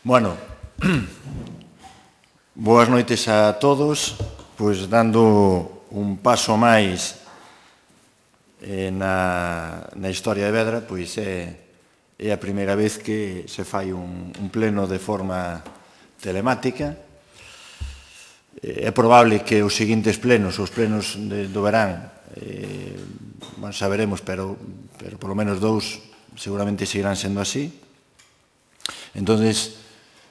Bueno, boas noites a todos, pois dando un paso máis na historia de Vedra, pois é a primeira vez que se fai un pleno de forma telemática. É probable que os seguintes plenos, os plenos do verán, saberemos, pero polo menos dous seguramente seguirán sendo así. Entonces,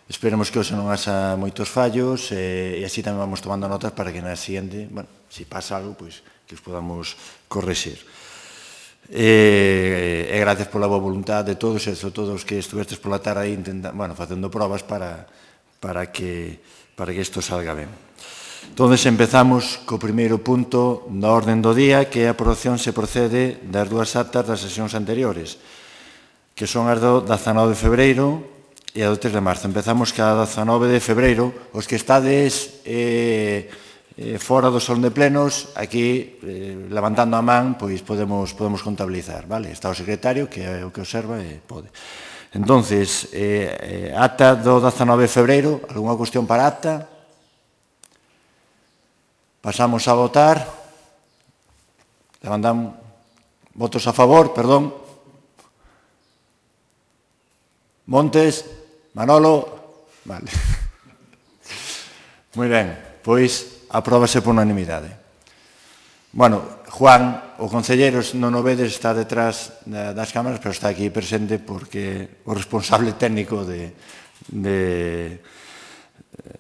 esperemos que hoxe non haxa moitos fallos e así tamén vamos tomando notas para que na siguiente, bueno, se pasa algo, pois que os podamos correxir. E gracias pola boa voluntad de todos e sobre todo os que estuvestes pola tarde aí facendo probas para que isto salga ben. Entón, empezamos co primeiro punto da orden do día, que é a aprobación se procede das dúas actas das sesións anteriores, que son as do 19 de febreiro e a do 3 de marzo. Empezamos ca 19 de febreiro. Os que estades fora do salón de plenos, aquí, levantando a man, pois podemos contabilizar, vale? Está o secretario, que é o que observa, e pode. Entonces, acta do 19 de febreiro, algunha cuestión para acta? Pasamos a votar. Levantamos votos a favor, perdón. Montes, Manolo, vale. Moi ben, pois apróbase por unanimidade. Bueno, Juan, o concelleiro non o vedes, está detrás das cámaras, pero está aquí presente porque o responsable técnico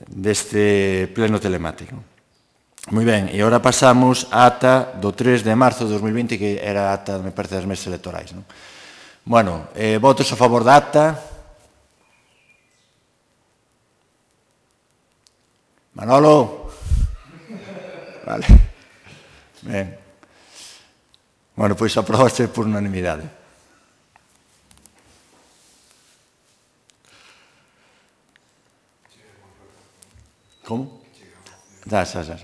deste pleno telemático. Moi ben, e agora pasamos á ata do 3 de marzo de 2020, que era a ata, me parece, das mesas electorais. Bueno, votos a favor da acta. Manolo? Vale. Ben. Bueno, pois aprobase por unanimidade. Como? Xa.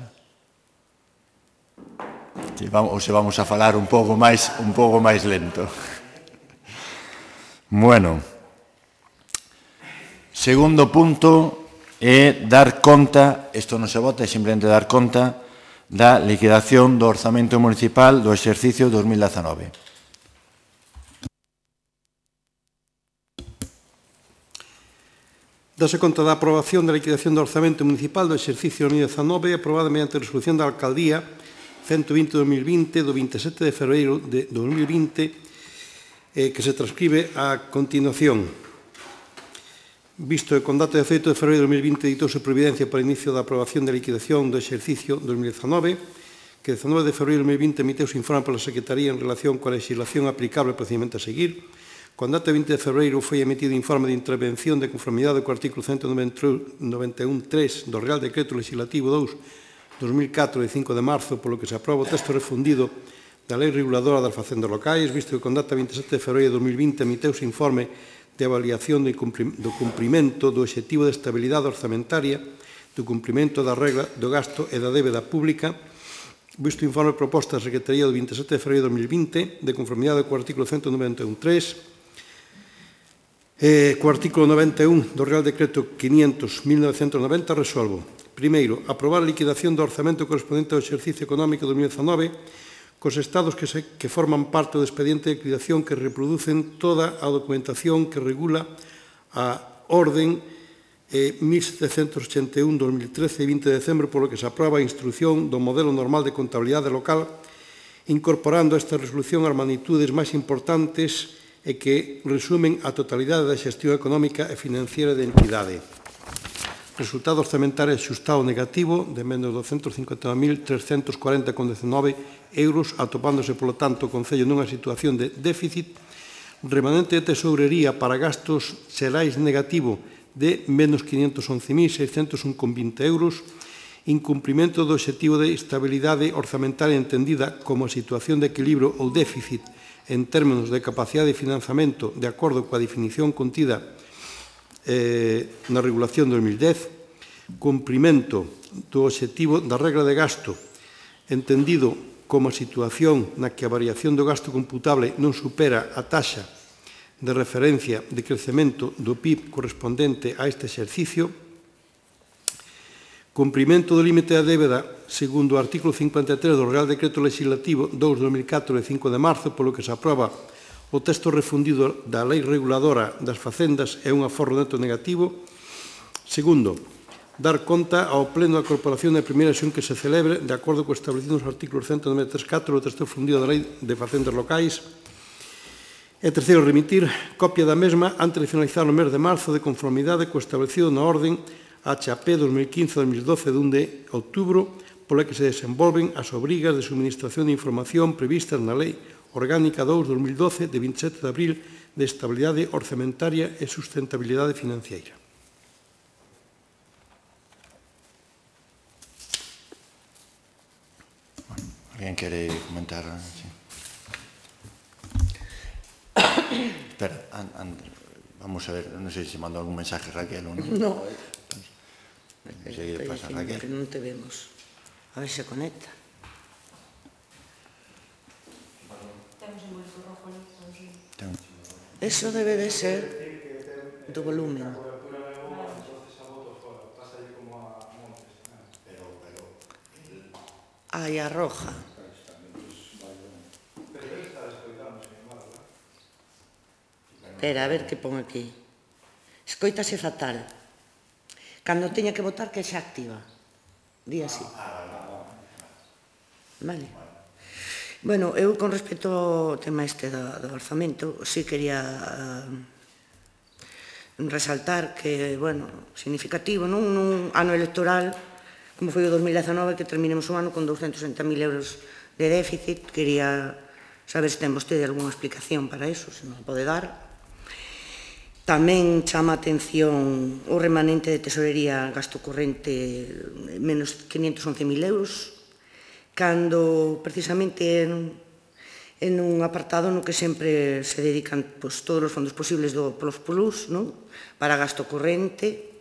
Ou se vamos a falar un pouco máis lento. Bueno. Segundo punto é dar conta, isto non se vota, é simplemente dar conta da liquidación do orzamento municipal do exercicio 2019. Dase conta da aprobación da liquidación do orzamento municipal do exercicio 2019 aprobada mediante a resolución da Alcaldía 120-2020 do 27 de febreiro de 2020 que se transcribe a continuación. Visto que con data de 18 de febreiro de 2020 ditouse providencia para o inicio da aprobación da liquidación do exercicio 2019, que 19 de febreiro de 2020 emiteuse informe pola Secretaría en relación coa legislación aplicable e procedimento a seguir. Con data de 20 de febreiro foi emitido informe de intervención de conformidade co artículo 191.3 do Real Decreto Legislativo 2/2004 de 5 de marzo, polo que se aproba o texto refundido da Lei Reguladora das Facendas Locais, visto que con data de 27 de febreiro de 2020 emiteuse informe de avaliación do cumprimento do obxectivo de estabilidade orzamentaria, do cumprimento da regra do gasto e da débeda pública, visto o informe proposta da Secretaría do 27 de febreiro de 2020, de conformidade co artículo 191.3, co artículo 91 do Real Decreto 500.1990, resolvo. Primeiro, aprobar a liquidación do orzamento correspondente ao exercicio económico 2019 cos estados que forman parte do expediente de liquidación que reproducen toda a documentación que regula a orden 1781-2013 de 20 de decembro, polo que se aproba a instrucción do modelo normal de contabilidade local, incorporando a esta resolución as magnitudes máis importantes e que resumen a totalidade da xestión económica e financiera da entidade. Resultado orzamentario axustado negativo de menos 259.340,19 euros, atopándose, polo tanto, o Concello nunha situación de déficit, remanente de tesourería para gastos xerais negativo de menos 511.601,20 euros, incumprimento do obxectivo de estabilidade orzamentaria entendida como situación de equilibrio ou déficit en términos de capacidade de financiamento de acordo coa definición contida na regulación 2010, cumprimento do obxectivo da regra de gasto entendido como a situación na que a variación do gasto computable non supera a taxa de referencia de crecemento do PIB correspondente a este exercicio, cumprimento do límite da débeda segundo o artículo 53 do Real Decreto Legislativo 2/2004 de 5 de marzo, polo que se aproba o texto refundido da Lei Reguladora das Facendas é un aforro neto negativo. Segundo, dar conta ao Pleno da Corporación da primeira sesión que se celebre de acordo co establecido nos artículos 193.4 do texto refundido da Lei de Facendas Locais. E terceiro, remitir copia da mesma antes de finalizar o mes de marzo de conformidade co establecido na orden HP 2015-2012 de 1 de outubro, pola que se desenvolven as obrigas de suministración de información previstas na Lei Orgánica 2/2012 de 27 de abril de Estabilidade Orzamentaria e Sustentabilidade Financiera. Alguén quere comentar? Sí. Espera, vamos a ver, non sei se mandou algún mensaje Raquel ou non. No. Enseguida pasa Raquel. Que non te vemos. A ver se conecta. Eso debe de ser do volumen. Ai, a roja. Espera, a ver que pon aquí. Escoítase fatal. Cando teña que votar, que xa activa. Di así. Vale. Bueno, eu con respecto ao tema este do orzamento, sí quería resaltar que, bueno, significativo, nun ano electoral, como foi o 2019, que terminemos o ano con 260.000 euros de déficit. Quería saber se ten vostede algunha explicación para iso, se non pode dar. Tamén chama a atención o remanente de tesorería gasto corrente menos 511.000 euros, cando precisamente en un apartado no que sempre se dedican todos os fondos posibles do Plus para gasto corrente,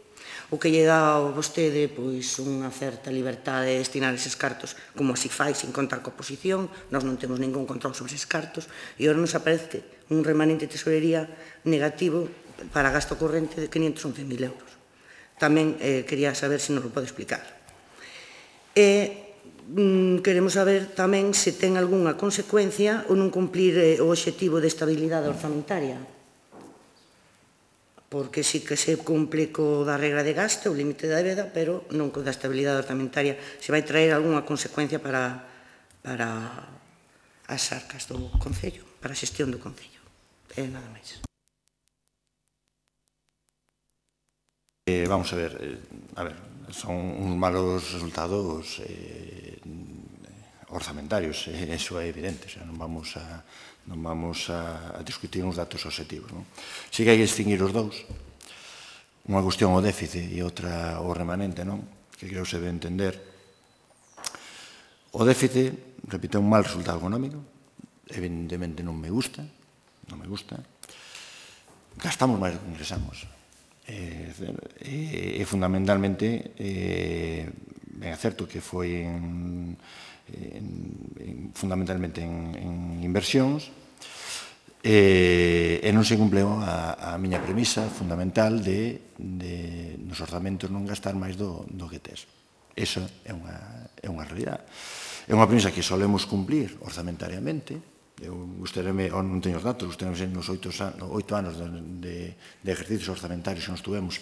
o que lle dá a vostede unha certa libertade de destinar eses cartos, como así fai, sin contar coa oposición. Nós non temos ningún control sobre eses cartos, e agora nos aparece un remanente de tesorería negativo para gasto corrente de 511.000 euros. Tamén quería saber se nos lo pode explicar. E queremos saber tamén se ten algunha consecuencia o non cumplir o obxectivo de estabilidade orzamentaria, porque sí que se cumple co da regra de gasto, o límite da débeda, pero non co da estabilidade orzamentaria. Se vai traer algunha consecuencia para as arcas do Concello, para a xestión do Concello. E nada máis. Vamos a ver, son uns malos resultados orzamentarios, eso é evidente, non vamos a discutir uns datos objetivos. Si que hai que distinguir os dous, unha cuestión o déficit e outra o remanente, que creo se debe entender. O déficit, repito, é un mal resultado económico, evidentemente non me gusta, gastamos máis do que ingresamos. E fundamentalmente ben é certo que foi fundamentalmente en inversións e non se cumpleu a miña premisa fundamental de nos orzamentos non gastar máis do que tes. Iso é unha realidade. É unha premisa que solemos cumplir orzamentariamente. Non teño os datos, nos 8 anos de ejercicios orzamentarios que nos tuvemos,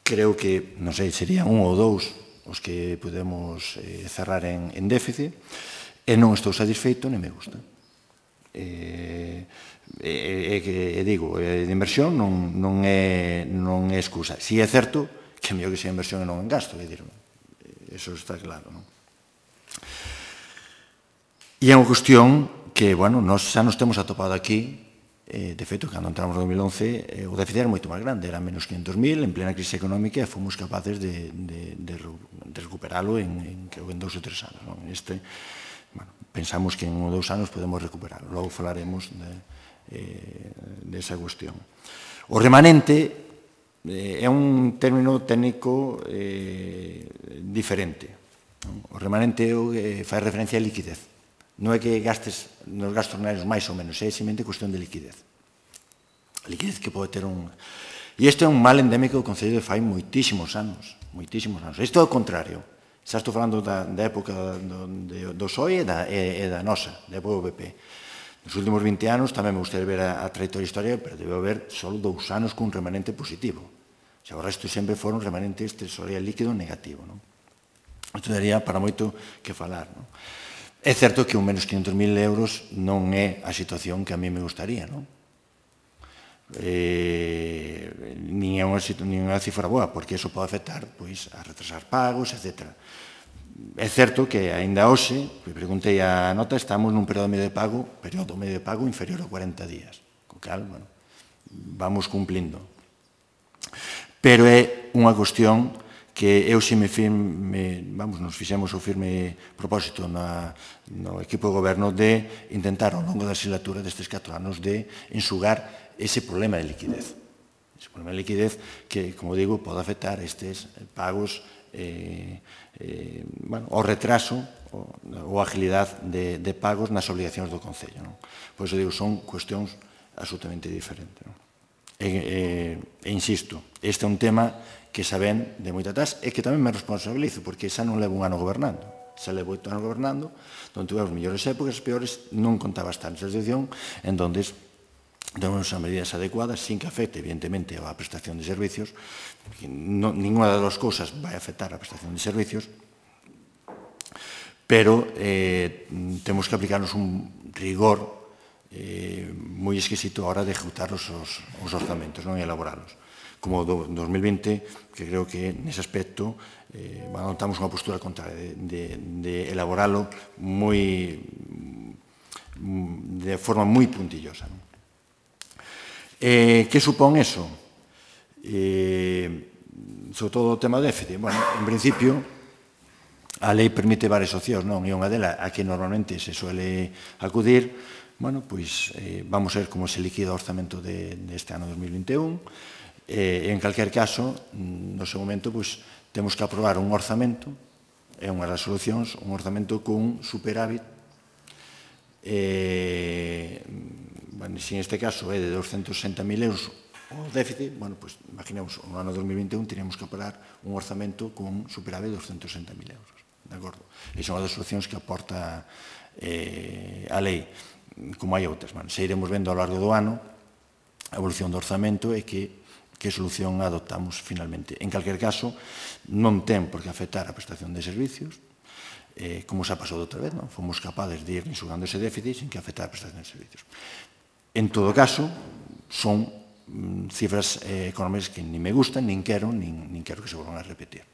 creo que, non sei, serían 1 ou 2 os que podemos cerrar en déficit, e non estou satisfeito, nem me gusta. E digo, de inversión non é excusa. Si é certo que é mellor que sea inversión e non en gasto, eso está claro, non? E é unha cuestión que, bueno, xa nos temos atopado aquí. De feito, cando entramos no 2011, o déficit era moito máis grande, era menos 500.000 en plena crise económica, e fomos capaces de recuperalo en 2 ou 3 anos. Pensamos que en 1 ou 2 anos podemos recuperalo. Logo falaremos desa cuestión. O remanente é un término técnico diferente. O remanente fai referencia á liquidez. Non é que gastes nos gastos ordinarios máis ou menos, é simplemente cuestión de liquidez. A liquidez que pode ter un... E isto é un mal endémico do Concello de Fai moitísimos anos. Moitísimos anos. Isto é o contrario. Xa estou falando da época do PSOE e da nosa, da época do PP. Nos últimos 20 anos tamén me gustaría ver a trayectoria histórica, pero debe haber só 2 anos cun remanente positivo. Xa o resto sempre foron remanentes tesorería líquido negativo. Isto daría para moito que falar. É certo que un menos 500.000 euros non é a situación que a mí me gustaría, non? Nin é unha cifra boa, porque iso pode afectar a retrasar pagos, etc. É certo que aínda hoxe, preguntei a nota, estamos nun período medio de pago inferior a 40 días, co cal, vamos cumplindo. Pero é unha cuestión que eu nos fixemos o firme propósito no equipo de goberno de intentar ao longo da legislatura destes 4 anos de enxugar ese problema de liquidez. Ese problema de liquidez que, como digo, pode afectar estes pagos o retraso ou agilidade de pagos nas obligacións do Concello. Por iso digo, son cuestións absolutamente diferentes. E insisto, este é un tema que xa ven de moita atrás e que tamén me responsabilizo, porque xa non levo un ano gobernando. Xa levo 8 anos gobernando, onde tuve as mellores épocas, as peores, non contaba estar nesa situación, en donde temos as medidas adecuadas, sin que afecte, evidentemente, a prestación de servicios. Ninguna das duas cousas vai afectar a prestación de servicios, pero temos que aplicarnos un rigor moi exquisito a hora de ejecutar os orzamentos e elaboralos. Como do 2020, que creo que nese aspecto adoptamos unha postura contraria de elaboralo de forma moi puntillosa. Que supón eso? Sobre todo o tema do déficit. En principio, a lei permite varias opcións, non? E unha delas, a que normalmente se suele acudir, vamos a ver como se liquida o orzamento deste ano 2021. En calquer caso, no seu momento, temos que aprobar un orzamento, e unhas resolucións, un orzamento con superávit, se neste caso é de 260.000 euros o déficit, imaginemos, no ano 2021 teríamos que aprobar un orzamento con superávit de 260.000 euros. De acordo? E son as solucións que aporta a lei, como hai outras. Se iremos vendo ao largo do ano a evolución do orzamento e que solución adoptamos finalmente. En calquer caso, non ten por que afectar a prestación de servicios, como xa pasou de outra vez, fomos capaces de ir enxugando ese déficit sin que afectara a prestación de servicios. En todo caso, son cifras económicas que nin me gustan, nin quero que se volvan a repetir.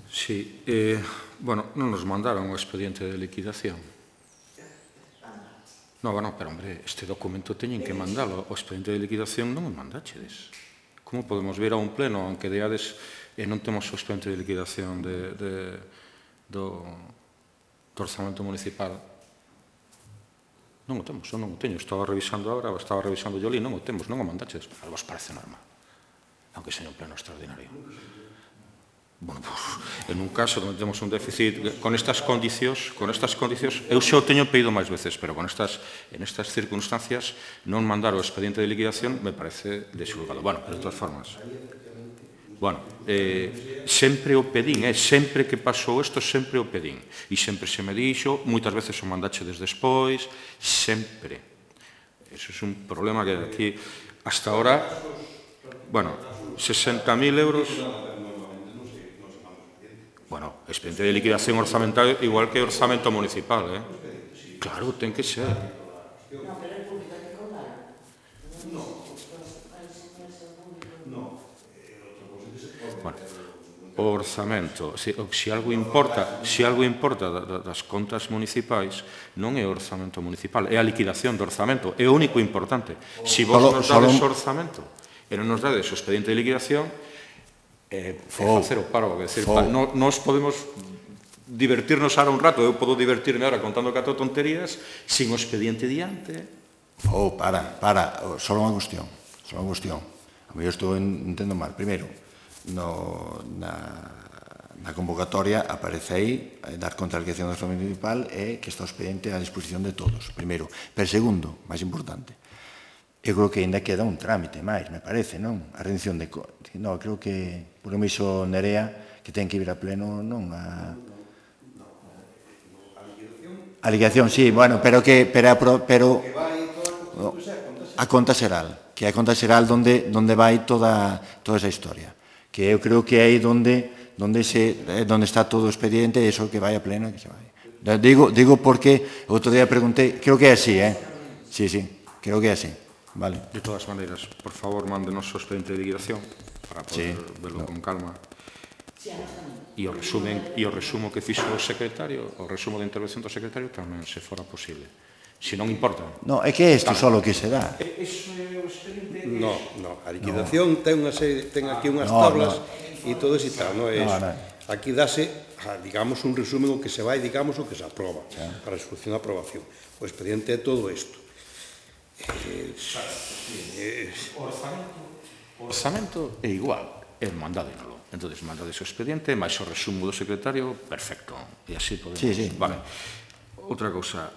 Sí, non nos mandaron o expediente de liquidación. Pero, hombre, este documento teñen que mandalo. O expediente de liquidación non o mandachedes. Como podemos vir a un pleno en que deades e non temos o expediente de liquidación do orzamento municipal? Non o temos, eu non o teño. Estaba revisando agora, estaba revisando yo ali, non o temos, non o mandachedes. A vos parece normal, aunque seña un pleno extraordinario. En un caso onde temos un déficit con estas condicións, eu xa o teño pedido máis veces, pero en estas circunstancias non mandar o expediente de liquidación me parece desxulgado. Pero de todas formas, sempre o pedín, sempre que pasou isto, sempre o pedín. E sempre se me dixo, moitas veces o mandachedes despois, sempre. Eso é un problema que aquí, hasta ahora, 60.000 euros... expediente de liquidación orzamental igual que orzamento municipal, Claro, ten que ser. O orzamento, se algo importa das contas municipais, non é o orzamento municipal, é a liquidación do orzamento, é o único importante. Se vos nos dades o orzamento e non nos dades o expediente de liquidación, facer o paro, nós podemos divertirnos ahora un rato, eu podo divertirme ahora contando 4 tonterías sin o expediente diante. Só unha cuestión, a mellor estou entendo mal. Primeiro, na convocatoria aparece aí dar conta da liquidación do orzamento municipal e que está o expediente a disposición de todos, primeiro. Pero segundo, máis importante, eu creo que ainda queda un trámite máis, me parece, non? A rendición de... Non, creo que, por me iso Nerea, que ten que ir a pleno, non a... A liquidación, sí, bueno, pero a conta xeral, que é a conta xeral onde vai toda esa historia. Que eu creo que é aí onde está todo o expediente e iso que vai a pleno e que se vai. Digo porque outro día preguntei, creo que é así, Sí, creo que é así. Vale. De todas maneiras, por favor, mándenos o expediente de liquidación para poder verlo con calma. E o resumo que fixo o secretario, o resumo de intervención do secretario tamén, se fora posible. Se non importa. No, é que isto só o que se dá. Eso é o expediente? No, a liquidación ten aquí unhas tablas e todo ese tal, non é iso. Aquí dase, digamos, un resumen o que se vai, digamos, o que se aproba para a execución e aprobación. O expediente é todo isto. O orzamento é igual, é mandádinolo. Entón, mandades o expediente, máis o resumo do secretario, perfecto. E así podemos... Sí. Vale. Outra cousa,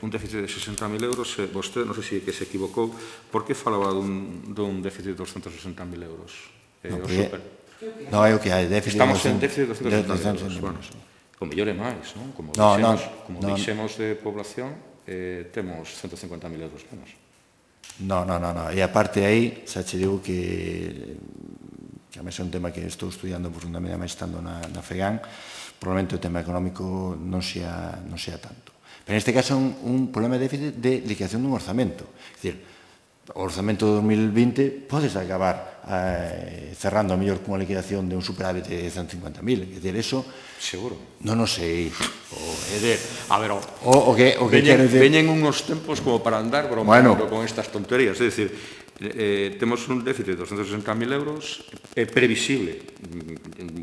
un déficit de 60.000 euros, vostede, non sei se que se equivocou, por que falaba dun déficit de 260.000 euros? Non, é o que hai, déficit... Estamos en déficit de 260.000 euros. Bueno, o mellor é máis, non? Como deixemos de población, temos 150.000 euros menos. No. E aparte aí, xa che digo que a mesa é un tema que estou estudiando profundamente, máis estando na FEGAN, probablemente o tema económico non sea tanto. Pero neste caso é un problema de déficit de liquidación dun orzamento. É dicir, o orzamento de 2020 podes acabar cerrando a mellor cunha liquidación de un superávit de 150.000. É dicir, eso... Seguro. Non o sei. A ver, veñen uns tempos como para andar bromeando con estas tonterías. É dicir, temos un déficit de 260.000 euros, é previsible.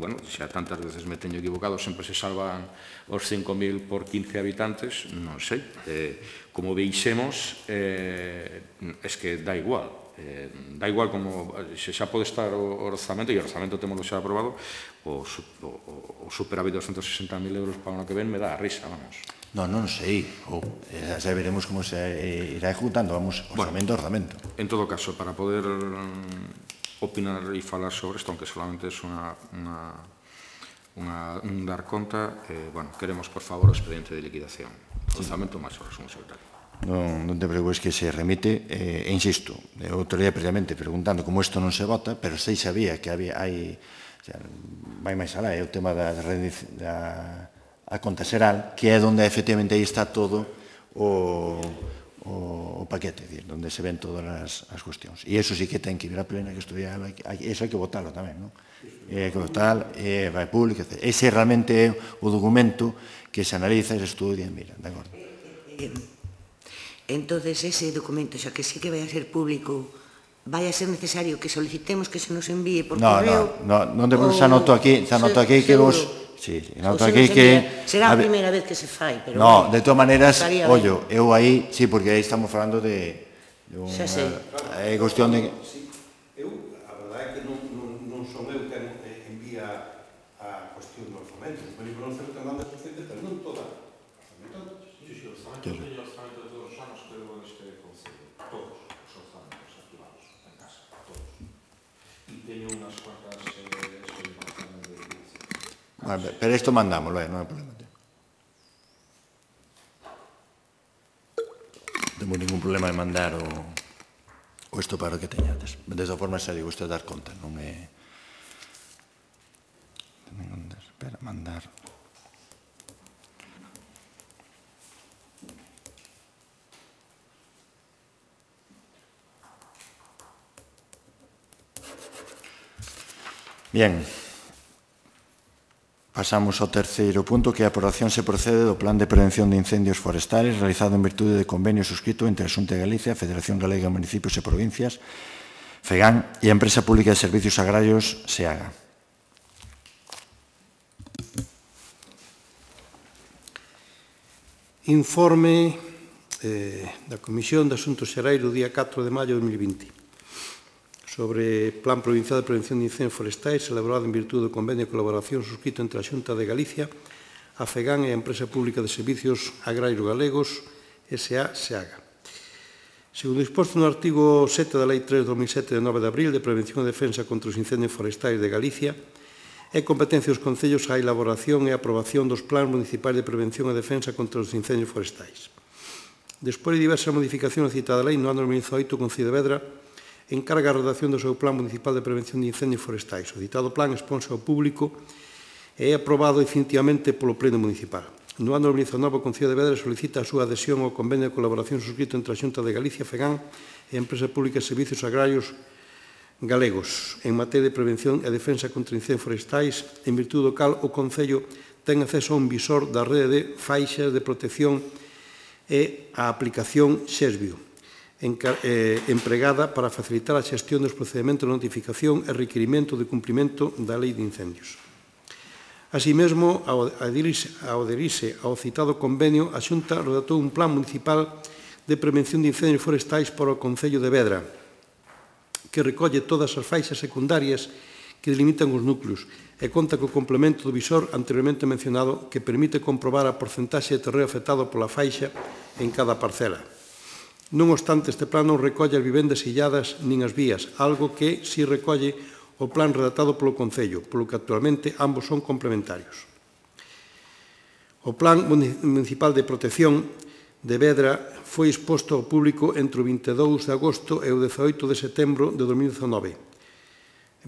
Bueno, xa tantas veces me teño equivocado, sempre se salvan os 5.000 por 15 habitantes, non sei. Como veixemos, es que dá igual. Dá igual como se xa pode estar o orzamento, e o orzamento temos xa aprobado, o superávit de 260.000 euros para o ano que ven me dá a risa, vamos. Non sei, xa veremos como se irá ejecutando, vamos, orzamento. En todo caso, para poder opinar e falar sobre isto, aunque solamente é un dar conta, queremos, por favor, o expediente de liquidación. Orzamento máis o resumo secretario. Non te preocupes que se remite, e insisto, outro día previamente preguntando como isto non se vota, pero sei sabía que hai, vai máis alá, é o tema da conta xeral, que é onde efectivamente aí está todo o paquete, onde se ven todas as cuestións. E iso sí que ten que ir a plena, que estudiar, iso hai que votarlo tamén, non? Hai que votar, vai público, etc. Ese realmente é o documento que se analiza e se estudia, mira, de acordo. Entonces, ese documento, xa que sí que vai a ser público, vai a ser necesario que solicitemos que se nos envíe por correo? Non te preocupes, xa noto aquí que vos... Sí, noto aquí que... Será a primeira vez que se fai, pero... No, de todas maneiras, ollo, eu aí, sí, porque aí estamos falando de... Xa sei. É cuestión de... Eu, a verdade é que non son eu quen envía a cuestión do orzamento. O libro non certo manda suficiente, pero non toda. Sí, o orzamento teño o orzamento de todos os anos que levou este concello. Todos os orzamentos activados en casa, todos. E teño unhas cuantas experimentaciones de liquidación. Pero isto mandámoslo, non hai problema. Non temos ningún problema de mandar o isto para o que teñades. De esa forma, xa digo, isto é dar conta, non é... Espera, mandar... Bien, pasamos ao terceiro punto, que a aprobación se procede do Plan de Prevención de Incendios Forestales realizado en virtude de convenio suscrito entre a Xunta de Galicia, a Federación Galega de Municipios e Provincias, FEGAN, e a Empresa Pública de Servicios Agrarios, SEAGA. Informe da Comisión de Asuntos Xerais do día 4 de maio de 2020. sobre Plan Provincial de Prevención de Incendios Forestais elaborado en virtude do convenio de colaboración suscrito entre a Xunta de Galicia, a FEGAN e a Empresa Pública de Servicios Agrarios Galegos, S.A.SEAGA. Segundo disposto no artigo 7 da Lei 3 de 2007 de 9 de abril de Prevención e Defensa contra os Incendios Forestais de Galicia, é competencia dos concellos a elaboración e aprobación dos plans municipais de prevención e defensa contra os incendios forestais. Despois de diversas modificacións da citada lei, no ano 2018, o Concello de Vedra encarga a redacción do seu plan municipal de prevención de incendios forestais. O citado plan exponse ao público e é aprobado definitivamente polo Pleno Municipal. No ano 2019, o Concello de Vedra solicita a súa adhesión ao convenio de colaboración suscrito entre a Xunta de Galicia, FEGAN e a Empresa Pública de Servicios Agrarios Galegos en materia de prevención e defensa contra incendios forestais, en virtude do cal o Concello ten acceso a un visor da rede de faixas de protección e a aplicación Xesbio, empregada para facilitar a xestión dos procedementos de notificación e requirimento de cumprimento da Lei de Incendios. Así mesmo, ao adherirse ao citado convenio, a Xunta redactou un plan municipal de prevención de incendios forestais para o Concello de Vedra, que recolle todas as faixas secundarias que delimitan os núcleos e conta co complemento do visor anteriormente mencionado que permite comprobar a porcentaxe de terreo afectado pola faixa en cada parcela. Non obstante, este plan non recolle as vivendas illadas nin as vías, algo que si recolle o plan redactado polo Concello, polo que actualmente ambos son complementarios. O Plan Municipal de Protección de Vedra foi exposto ao público entre o 22 de agosto e o 18 de setembro de 2019,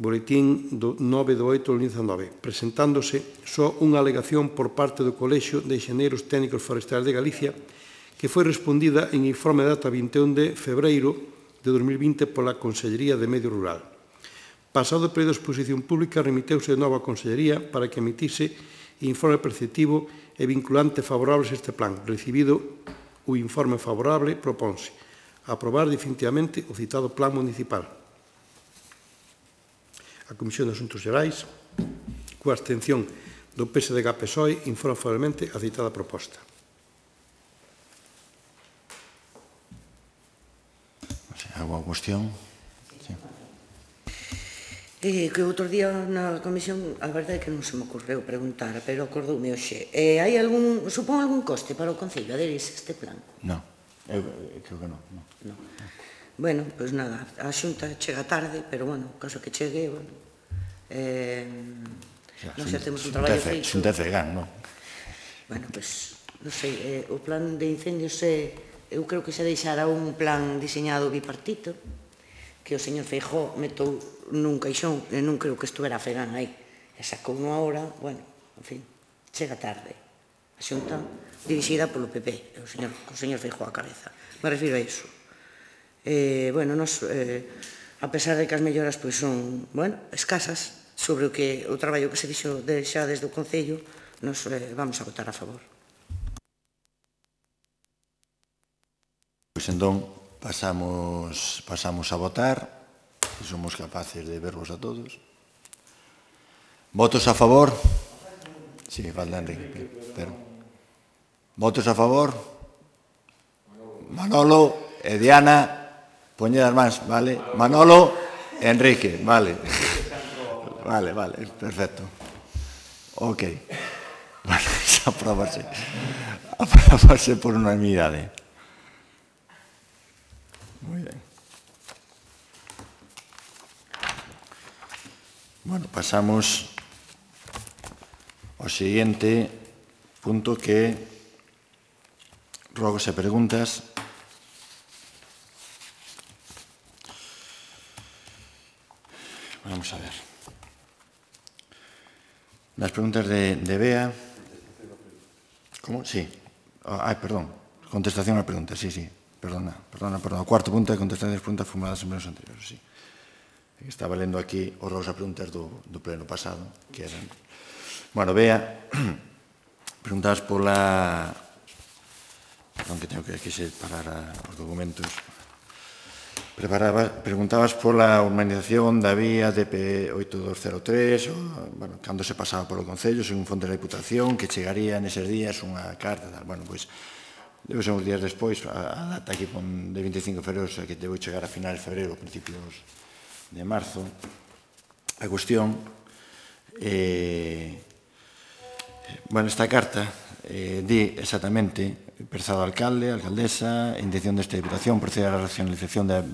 boletín do 9 de 8 de 2019, presentándose só unha alegación por parte do Colexio de Enxeneiros Técnicos Forestais de Galicia, que foi respondida en informe de data 21 de febreiro de 2020 pola Consellería de Medio Rural. Pasado o período de exposición pública, remiteuse de novo á Consellería para que emitise informe preceptivo e vinculante favorables a este plan. Recibido o informe favorable, proponse aprobar definitivamente o citado plan municipal. A Comisión de Asuntos Xerais, coa abstención do PSDG-PSOE, informa favorablemente a citada proposta. Alguna cuestión? Que outro día na comisión, a verdade é que non se me ocorreu preguntar, pero acordoume hoxe. Hai algún, supón algún coste para o Concello aderirse a este plan? Non, eu creo que non. Bueno, pois nada, a Xunta chega tarde, pero bueno, caso que chegue, bueno, non xa temos un traballo feito. Xunta de FEGAN, non? Bueno, pois, non sei, o plan de incendios eu creo que se deixara un plan diseñado bipartito, que o señor Feijóo metou nun caixón, e non creo que estuvera a FEGAN aí, e sacou unha hora, bueno, en fin, chega tarde. A Xunta dirixida polo PP, o señor Feijóo a cabeza. Me refiro a iso. Bueno, nos, a pesar de que as melloras pois son, bueno, escasas, sobre o traballo que se dixo xa desde o Concello, nos vamos a votar a favor. Pois entón, pasamos a votar. Se somos capaces de vervos a todos. Votos a favor? Sí, falta Enrique. Votos a favor? Manolo e Diana, poñed as mans, vale? Manolo e Enrique, vale. Vale, perfecto. Ok. Vale, aprobase por unanimidade. Muy bien. Bueno, pasamos ao seguinte punto que rogos e preguntas. Vamos a ver. Las preguntas de Bea. ¿Cómo? Sí. Perdón. Contestación a preguntas, sí. Perdona. O cuarto punto de contestación das preguntas formuladas en plenos anteriores, sí. Estaba lendo aquí os rogos a preguntas do pleno pasado, que eran... Bueno, Bea, preguntabas pola... Perdón, que tengo que aquí separar os documentos. Preguntabas pola urbanización da vía DP8203, bueno, cando se pasaba polo Concello, según fonte da Diputación, que chegaría neses días unha carta, tal. Bueno, pois, debe ser uns días despois, a data aquí de 25 de febrero, que debo chegar a finales de febrero, principios de marzo, a cuestión, bueno, esta carta di exactamente, prezado alcalde, alcaldesa, intención desta Diputación proceder á racionalización da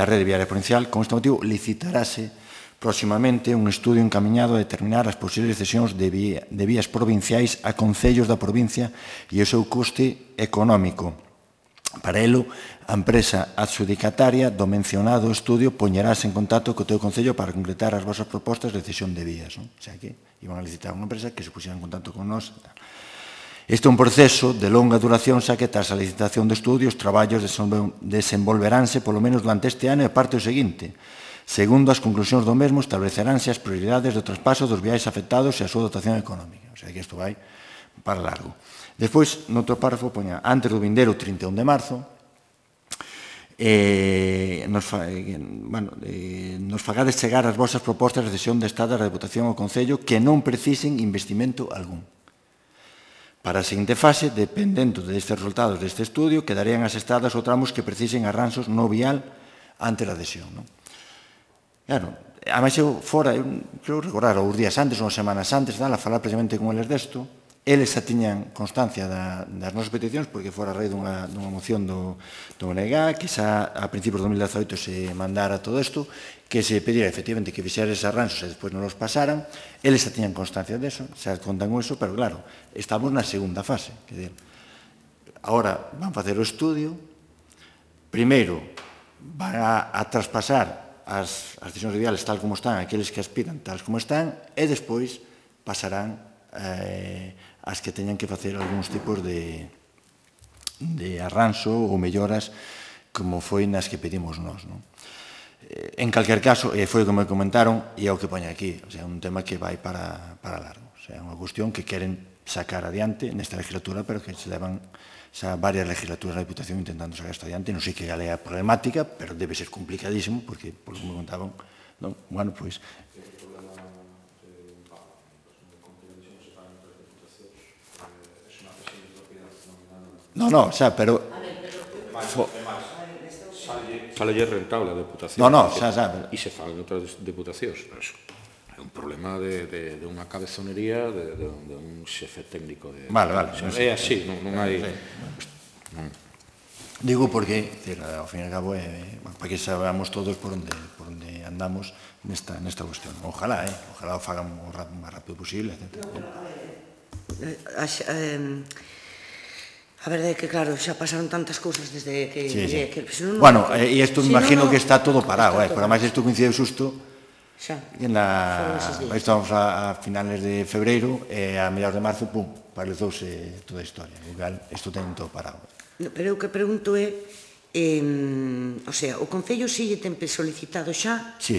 rede viaria provincial. Con este motivo, licitarase próximamente un estudio encamiñado a determinar as posibles cesións de vías provinciais a concellos da provincia e o seu custe económico. Para elo, a empresa adxudicataria do mencionado estudio poñerase en contacto co teu concello para concretar as vosas propostas de cesión de vías. O sea que iban a licitar unha empresa que se pusiera en contacto con nós. Este é un proceso de longa duración, xa que tras a licitación de estudios, os traballos desenvolveránse polo menos durante este ano e parte o seguinte. Segundo as conclusións do mesmo, estableceránse as prioridades do traspaso dos viais afectados e a súa dotación económica. O sea que isto vai para largo. Despois, noutro párrafo, poña, antes do vindeiro 31 de marzo, nos fagades chegar as vosas propostas de cesión de Estado da Deputación ao Concello que non precisen investimento algún. Para a seguinte fase, dependendo destes resultados deste estudio, quedarían asestadas ou tramos que precisen arranxos no vial ante a adhesión. Claro, ademais eu fora, creo recordar, os días antes, unhas semanas antes, a falar precisamente con eles desto, eles xa tiñan constancia das nosas peticións, porque fora a raíz dunha moción do ONG, que xa a principios de 2018 se mandara todo isto, que se pedira efectivamente que fixera eses arranxos e despois non os pasaran, eles xa tiñan constancia deso, xa contan con eso, pero claro, estamos na segunda fase. Agora van facer o estudio, primeiro van a traspasar as decisións viales tal como están, aqueles que aspiran tal como están, e despois pasarán as que teñan que facer algúns tipos de arranxo ou melloras como foi nas que pedimos nós. En calquer caso, foi o que me comentaron e é o que poña aquí, é un tema que vai para largo. É unha cuestión que queren sacar adiante nesta legislatura, pero que se levan xa varias legislaturas da Diputación intentando sacar isto adiante. Non sei que gal é a problemática, pero debe ser complicadísimo, porque, por que me contaban, bueno, pois... No, xa, pero... Sale rentable a Deputación. Xa. E se falan outras deputacións. É un problema de unha cabezonería de un xefe técnico. Vale. É así, non hai... Digo porque, ao fin e ao cabo, para que sabamos todos por onde andamos nesta cuestión. Ojalá o fagan o máis rápido posible, etc. A verdade é que, claro, xa pasaron tantas cousas desde que... Bueno, e isto me imagino que está todo parado, pero además isto coincide xusto estamos a finales de febreiro e a mediados de marzo, pum, paralizouse toda a historia. Isto ten todo parado. Pero o que pregunto é, o sea, o Concello si lle ten solicitado xa? Sí.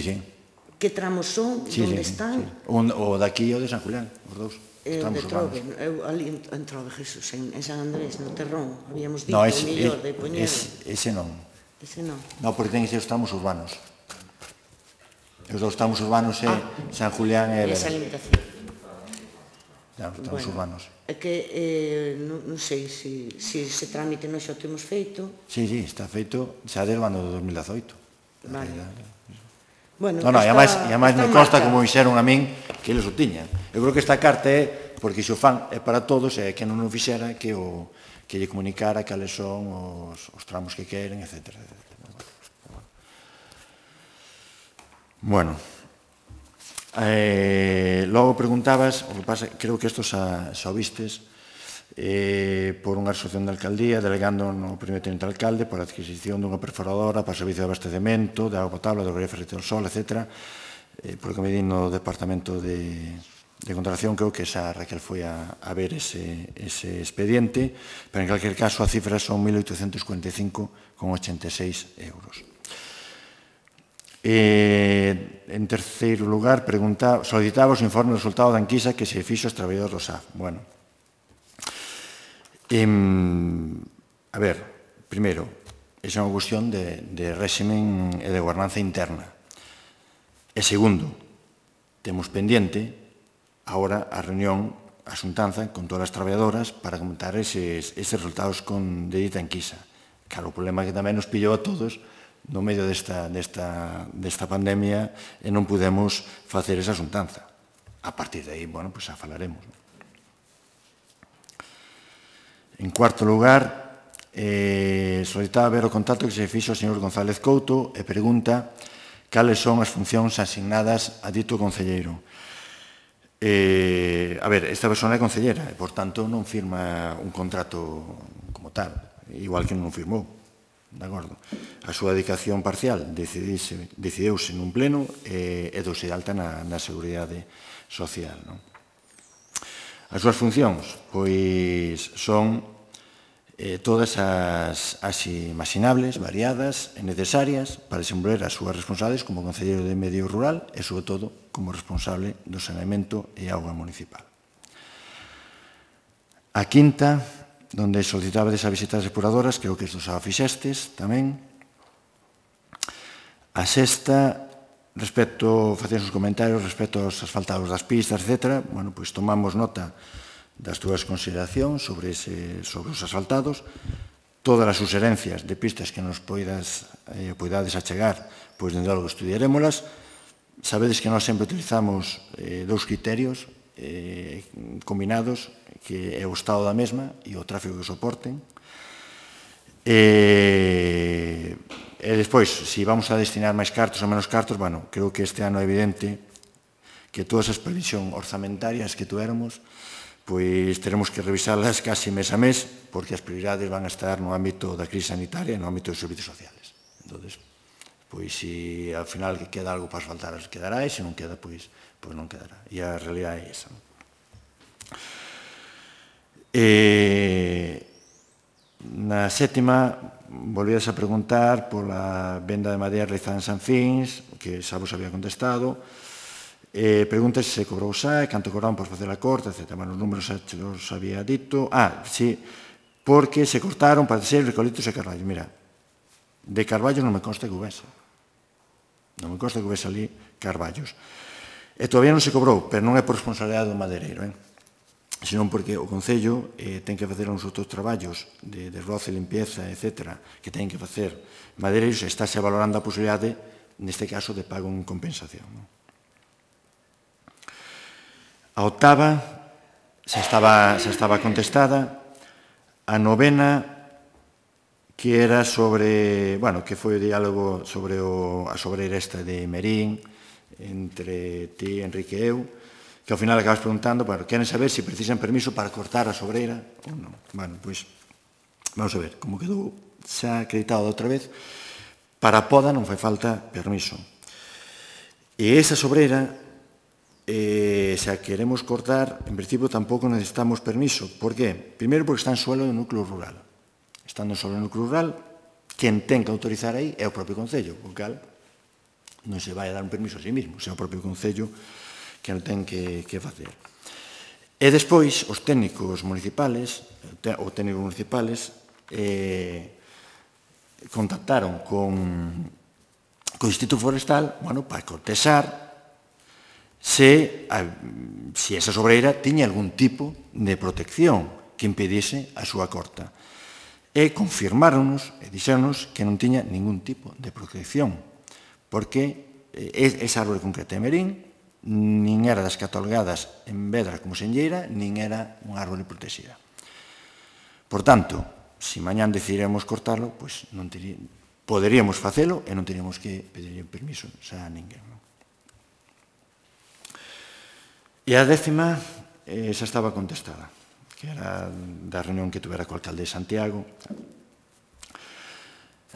Que tramos son? Onde están? O daqui e o de San Julián, os dous. De Trove, ali en Trove, Jesús, en San Andrés, no Terrón, habíamos dito o millor de poñer... Ese non. Ese non? Non, porque ten que ser os tramos urbanos. Os dous tramos urbanos é San Julián e... Esa limitación. Os tramos urbanos. É que, non sei, se ese trámite non xa o temos feito... Sí, está feito xa desde o ano de 2018. Vale. Non, e ademais me consta como dixeron a min que eles o tiñan. Eu creo que esta carta é, porque se o fan é para todos, e que non o fixera que lle comunicara cales son os tramos que queren, etc. Bueno, logo preguntabas, o que pasa, creo que isto xa o vistes, por unha asociación de alcaldía, delegando no primeiro teniente alcalde por a adquisición dunha perforadora para o servicio de abastecemento, de auga potable, do Grefe Ferreiro del Sol, etc. Por que me di no departamento de contratación, creo que xa Raquel foi a ver ese expediente, pero en calquer caso a cifra son 1.845,86 euros. En terceiro lugar, solicitaba os informes do resultado da enquisa que se fixo aos traballadores do SAF. Bueno, a ver, primeiro, esa é unha cuestión de réximen e de gobernanza interna. E segundo, temos pendiente agora a reunión, a xuntanza con todas as traballadoras para comentar eses resultados de dita enquisa. Claro, o problema que tamén nos pillou a todos no medio desta pandemia e non pudemos facer esa xuntanza. A partir de aí, bueno, pois xa falaremos. En cuarto lugar, solicitaba ver o contacto que se fixo o señor González Couto e pregunta cales son as funcións asignadas a dito concelleiro. A ver, esta persona é concellera e, por tanto, non firma un contrato como tal, igual que non firmou, de acordo? A súa dedicación parcial decidiuse nun pleno e douse de alta na Seguridade Social. As súas funcións, pois, son todas as imaginables, variadas e necesarias para desenvolver as súas responsabilidades como concelleiro de Medio Rural e, sobre todo, como responsable do saneamento e auga municipal. A quinta, donde solicitaba a visitas depuradoras, creo que isto xa o fixestes tamén. A sexta, facían os comentarios respecto aos asfaltados das pistas, etc. Bueno, pois tomamos nota das túas consideracións sobre os asfaltados, todas as suxerencias de pistas que nos poidades achegar, pois dende logo estudiarémolas. Sabedes que nós sempre utilizamos dous criterios combinados, que é o estado da mesma e o tráfico que soporten. E despois, se vamos a destinar máis cartos ou menos cartos, bueno, creo que este ano é evidente que todas as previsións orzamentarias que tuéramos, pois teremos que revisarlas casi mes a mes, porque as prioridades van a estar no ámbito da crise sanitaria e no ámbito dos servicios sociales. Entón, pois, se ao final queda algo para asfaltar, quedará, e se non queda, pois non quedará. E a realidade é esa. Na sétima, volvías a preguntar pola venda de madeira realizada en San Fins, que xa vos había contestado. Preguntas se cobrou xa, canto cobraron por facer a corta, etc. Bueno, os números xa os había dito. Sí, porque se cortaron para ser recolitos e carballos. Mira, de carballos non me consta que houvese. Non me consta que houvese ali carballos. E todavía non se cobrou, pero non é por responsabilidade do madeireiro, senón porque o Concello ten que facer uns outros traballos de roce, limpieza, etc., que ten que facer madeireiros, e estáse valorando a posibilidade, neste caso, de pago en compensación. A octava xa estaba contestada. A novena, que era sobre, bueno, que foi o diálogo sobre a sobreira esta de Merín, entre ti, Enrique e eu, que ao final acabas preguntando, bueno, queren saber se precisan permiso para cortar a sobreira ou non. Bueno, pois, vamos a ver, como quedou xa acreditado outra vez, para a poda non fai falta permiso. E esa sobreira, se a queremos cortar, en principio tampouco necesitamos permiso. Por qué? Primeiro, porque está en suelo do núcleo rural. Estando en suelo do núcleo rural, quen ten que autorizar aí é o propio Concello, o cal non se vai a dar un permiso a sí mismo, é o propio Concello que non ten que facer. E despois, os técnicos municipales, contactaron con o Instituto Forestal, bueno, para cortesar se esa sobreira tiña algún tipo de protección que impedise a súa corta. E confirmáronos e dixéronos que non tiña ningún tipo de protección, porque esa árbore concreta de Merín nin era das catalogadas en Vedra como senlleira, nin era unha árbore protexida. Por tanto, se mañán decidiremos cortarlo, pois poderíamos facelo e non teríamos que pedir permiso a ninguén. E a décima xa estaba contestada, que era da reunión que tuvera co alcalde de Santiago.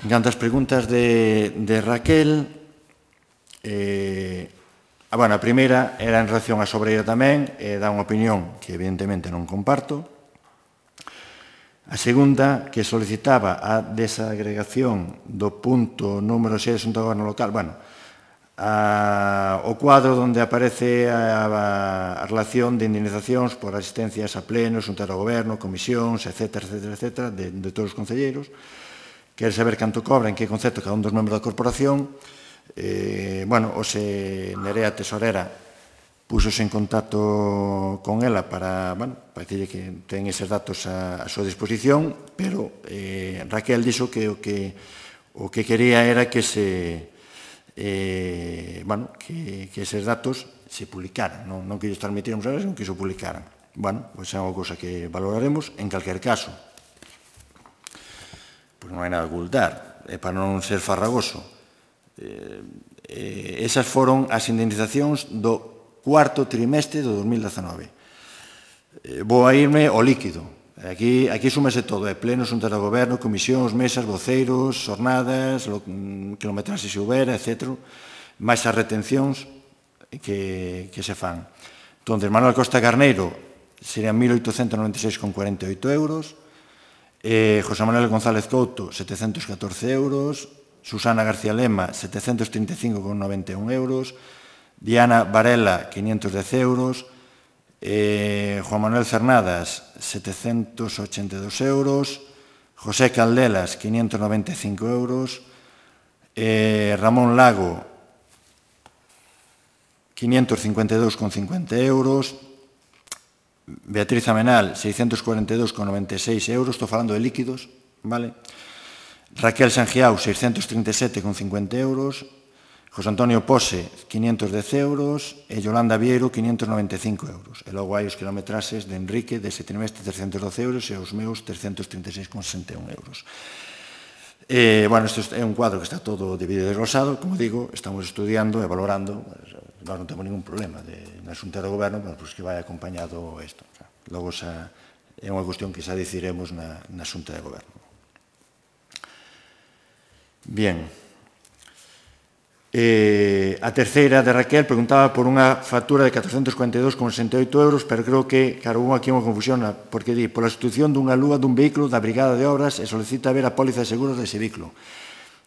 En canto ás preguntas de Raquel, a primeira era en relación á sobreira tamén, e dá unha opinión que evidentemente non comparto. A segunda, que solicitaba a desagregación do punto número 6 do Asunto do Goberno Local, o cuadro onde aparece a relación de indemnizacións por asistencias a plenos, xuntas ao goberno, comisións, etc., de todos os concelleiros. Quere saber canto cobra, en que concepto cada un dos membros da corporación. Nerea Tesorera púxose en contacto con ela para dicirle que ten eses datos a súa disposición, pero Raquel dixo que O que quería era que eses datos se publicaran, non que ellos transmitíramos a veces, non que se publicaran. Bueno, pois é unha cousa que valoraremos. En calquer caso, pois non hai nada a ocultar, e para non ser farragoso, esas foron as indemnizacións do cuarto trimestre do 2019. Vou a irme ao líquido. Aquí súmese todo, plenos, xuntas do goberno, comisións, mesas, voceiros, jornadas, kilometraxe se houbera, etc. máis as retencións que se fan. Entón, Manuel Costa Carneiro serían 1.896,48 euros, José Manuel González Couto, 714 euros, Susana García Lema, 735,91 euros, Diana Varela, 510 euros, Juan Manuel Cernadas, 782 euros, José Caldelas, 595 euros, Ramón Lago, 552,50 euros, Beatriz Amenal, 642,96 euros, estou falando de líquidos, vale? Raquel Sangiao, 637,50 euros, José Antonio Pose, 510 euros, e Yolanda Vieiro, 595 euros. E logo hai os kilometraxes de Enrique, dese trimestre, 312 euros, e os meus, 336,61 euros. Bueno, isto é un cuadro que está todo dividido e desglosado, como digo, estamos estudiando e valorando, nós non temos ningún problema na Xunta de Goberno, pois que vai acompañado isto. Logo é unha cuestión que xa decidiremos na Xunta de Goberno. Bien. A terceira de Raquel preguntaba por unha factura de 442,68 euros, pero creo que, claro, hubo aquí unha confusión, porque di, pola sustitución dunha lúa dun vehículo da Brigada de Obras e solicita ver a póliza de seguros dese vehículo.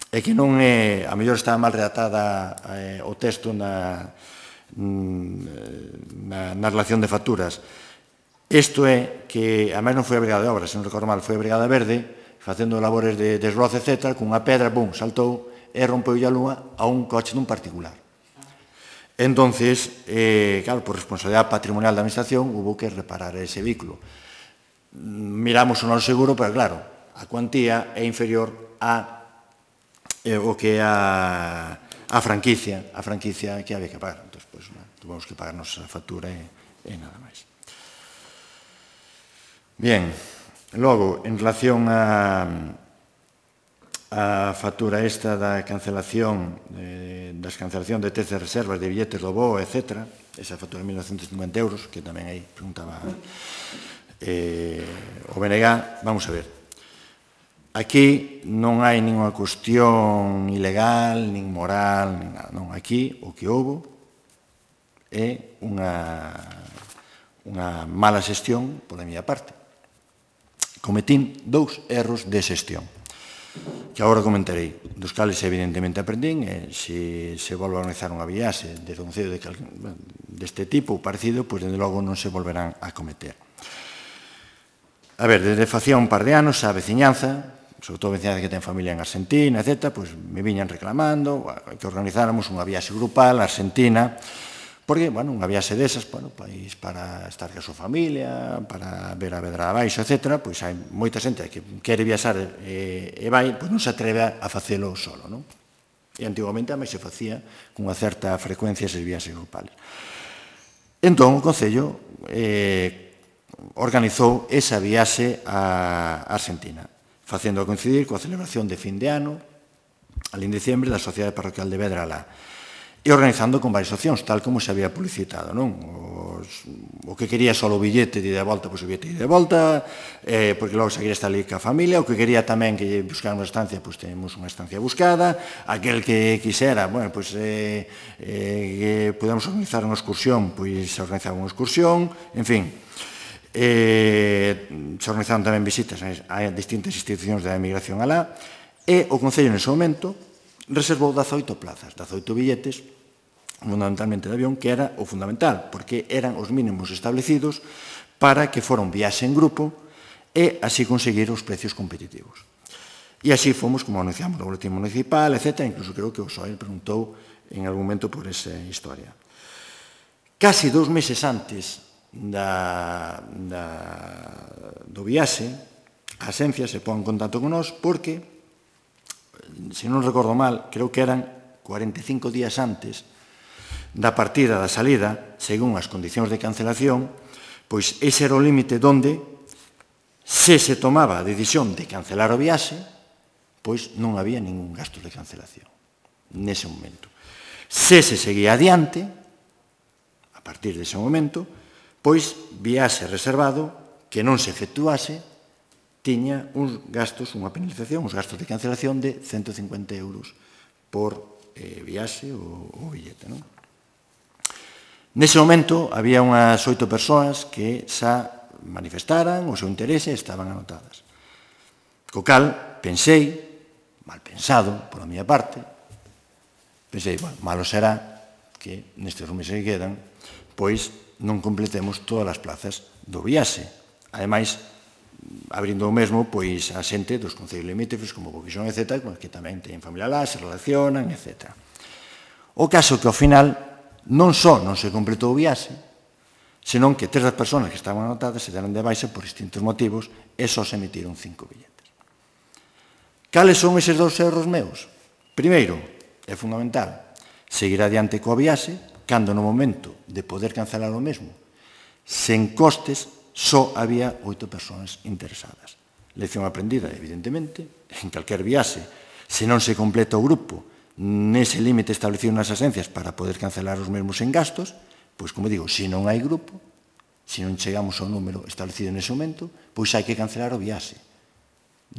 É que non é, a mellor estaba mal redactada o texto na relación de facturas. Isto é que, a máis non foi a Brigada de Obras, se non recordo mal, foi a Brigada Verde, facendo labores de desbroce, etc., cunha pedra, bum, saltou, e rompeu a lúa a un coche dun particular. Entonces, claro, por responsabilidade patrimonial da administración, hubo que reparar ese vehículo. Miramos o noso seguro, pero claro, a cuantía é inferior a o que é a franquicia que había que pagar. Entón, tuvimos que pagarnos a factura e nada máis. Bien, logo, en relación a factura esta da cancelación das cancelación de teces de reservas de billetes do BOE, etc. Esa factura de 1.950 euros, que tamén aí preguntaba o BNG. Vamos a ver. Aquí non hai ninguna cuestión ilegal, nin moral, nin nada. Non, aquí o que houbo é unha mala xestión pola miña parte. Cometín 2 erros de xestión, que agora comentarei, dos cales evidentemente aprendín, e se volve a organizar unha viaxe desde un concello deste tipo ou parecido, pois desde logo non se volverán a cometer. A ver, desde facía un par de anos a veciñanza, sobre todo a veciñanza que ten familia en Argentina, etc., pois me viñan reclamando que organizáramos unha viaxe grupal a Argentina, porque, bueno, unha viaxe desas, bueno, pois para estar ca súa familia, para ver a Vedra abaixo, etc., pois hai moita xente que quere viaxar e vai, pois non se atreve a facelo solo, non? E antigamente a máis se facía con unha certa frecuencia esas viaxes grupales. Entón, o Concello organizou esa viaxe a Argentina, facendo coincidir coa celebración de fin de ano, alí en diciembre, da Sociedade Parroquial de Vedra alá, e organizando con varias opcións, tal como se había publicitado, non? O que quería só o billete de ida e volta, pois o billete de ida e volta, porque logo se quería estar ali ca familia, o que quería tamén que buscáramos unha estancia, pois temos unha estancia buscada, aquel que quixera, bueno, pois que podemos organizar unha excursión, pois se organizaba unha excursión, en fin, se organizaron tamén visitas a distintas institucións da emigración alá, e o Concello nese momento reservou 18 plazas, 18 billetes, fundamentalmente de avión, que era o fundamental, porque eran os mínimos establecidos para que fora un viaxe en grupo e así conseguir os precios competitivos. E así fomos, como anunciamos no boletín municipal, etc. Incluso creo que o SOE preguntou en algún momento por esa historia. Casi 2 meses antes do viaxe, a Asencia se pon en contacto con nós porque se non recordo mal, creo que eran 45 días antes da partida da salida, según as condicións de cancelación, pois ese era o límite onde, se se tomaba a decisión de cancelar o viaxe, pois non había ningún gasto de cancelación nese momento. Se se seguía adiante, a partir dese momento, pois viaxe reservado que non se efectuase tiña uns gastos, unha penalización, uns gastos de cancelación de 150 euros por viaxe ou billete, non? Nese momento, había unhas 8 persoas que xa manifestaran o seu interese e estaban anotadas. Co cal, pensei, mal pensado, por a miña parte, pensei, bueno, malo será que nestes meses que quedan, pois non completemos todas as plazas do viaxe. Ademais, abrindo o mesmo, pois a xente dos concellos limítrofes, como Bovixón, etc., que tamén teñen familia lá, se relacionan, etc. O caso que, ao final, non só non se completou o viaxe, senón que 3 das persoas que estaban anotadas se deron de baixa por distintos motivos e só se emitiron 5 billetes. Cales son eses 2 erros meus? Primeiro, é fundamental, seguir adiante coa viaxe, cando no momento de poder cancelar o mesmo, sen costes, só había 8 persoas interesadas. Lección aprendida, evidentemente, en calquer viaxe, se non se completa o grupo nese límite establecido nas asencias para poder cancelar os mesmos en gastos, pois, como digo, se non hai grupo, se non chegamos ao número establecido nese momento, pois hai que cancelar o viaxe.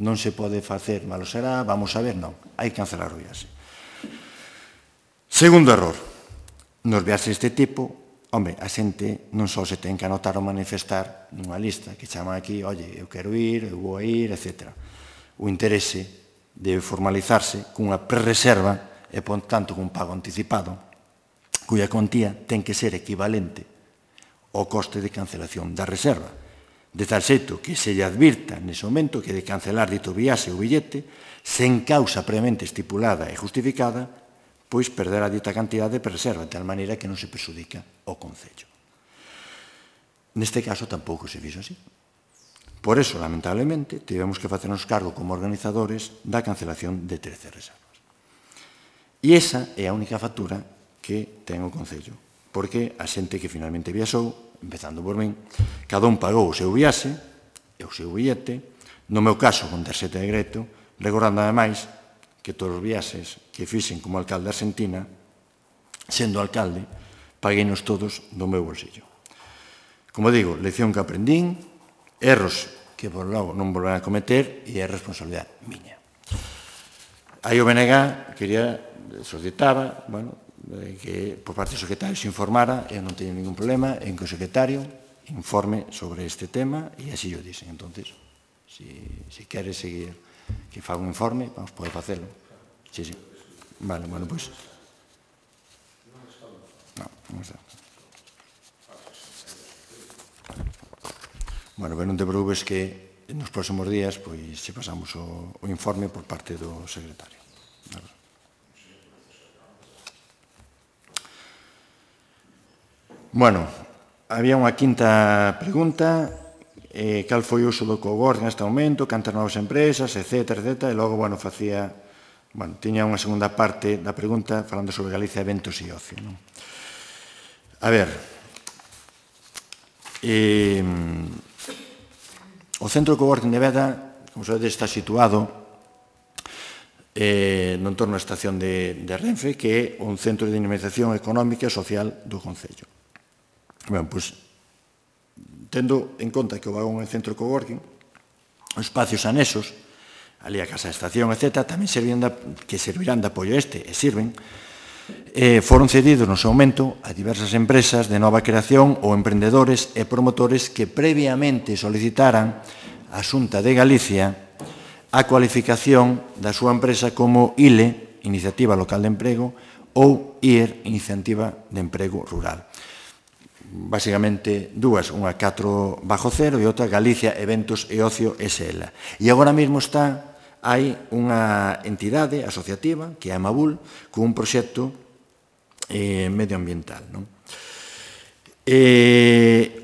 Non se pode facer, malo será, vamos a ver, non, hai que cancelar o viaxe. Segundo error, nos viaxes deste tipo, home, a xente non só se ten que anotar ou manifestar nunha lista que chaman aquí, oye, eu quero ir, eu vou a ir, etc. O interese debe formalizarse cunha prerreserva e, por tanto, cun pago anticipado, cuya cuantía ten que ser equivalente ao coste de cancelación da reserva, de tal xeito que se lle advirta nese momento que de cancelar dito viaxe ou billete, sen causa previamente estipulada e justificada, pois perderá dita cantidad de prerreserva, de tal maneira que non se perxudica o concello. Neste caso tampouco se fixo así. Por eso, lamentablemente, tivemos que facernos cargo como organizadores da cancelación de 13 reservas. E esa é a única factura que ten o concello, porque a xente que finalmente viaxou, empezando por min, cada un pagou o seu viaxe e o seu billete, no meu caso con tarxeta de crédito, recordando ademais que todos os viaxes que fixen como alcalde de Argentina, sendo alcalde, pagueinos todos do meu bolsillo. Como digo, lección que aprendín, erros que por logo non volverán a cometer e é responsabilidade miña. Aí o BNG quería, solicitaba, bueno, que por parte do secretario se informara, eu non teño ningún problema en que o secretario informe sobre este tema e así o dixen. Entonces, se quere seguir que faga un informe, vamos poder facelo. Sí, sí. Vale, bueno, pois. Non está. Bueno, pero non te preocupes que nos próximos días, pois, se pasamos o informe por parte do secretario. Bueno, había unha quinta pregunta, cal foi o uso do coworking neste momento, cantas novas empresas, etc., etc., e logo, bueno, facía, bueno, tiña unha segunda parte da pregunta falando sobre Galicia Eventos e Ocio, non? A ver, o centro de coworking de Beda, como sabedes, está situado no entorno da estación de Renfe, que é un centro de dinamización económica e social do concello. Ben, pois, tendo en conta que o vagón é centro de coworking, os espacios anexos, ali a casa de estación, etc., tamén servirán de apoio a este, e sirven, foron cedidos no seu momento a diversas empresas de nova creación ou emprendedores e promotores que previamente solicitaran a Xunta de Galicia a cualificación da súa empresa como ILE, Iniciativa Local de Emprego, ou IER, Iniciativa de Emprego Rural. Básicamente dúas, unha 4/0 e outra Galicia Eventos e Ocio SL. E agora mesmo hai unha entidade asociativa, que é a Amabul, con un proxecto medioambiental.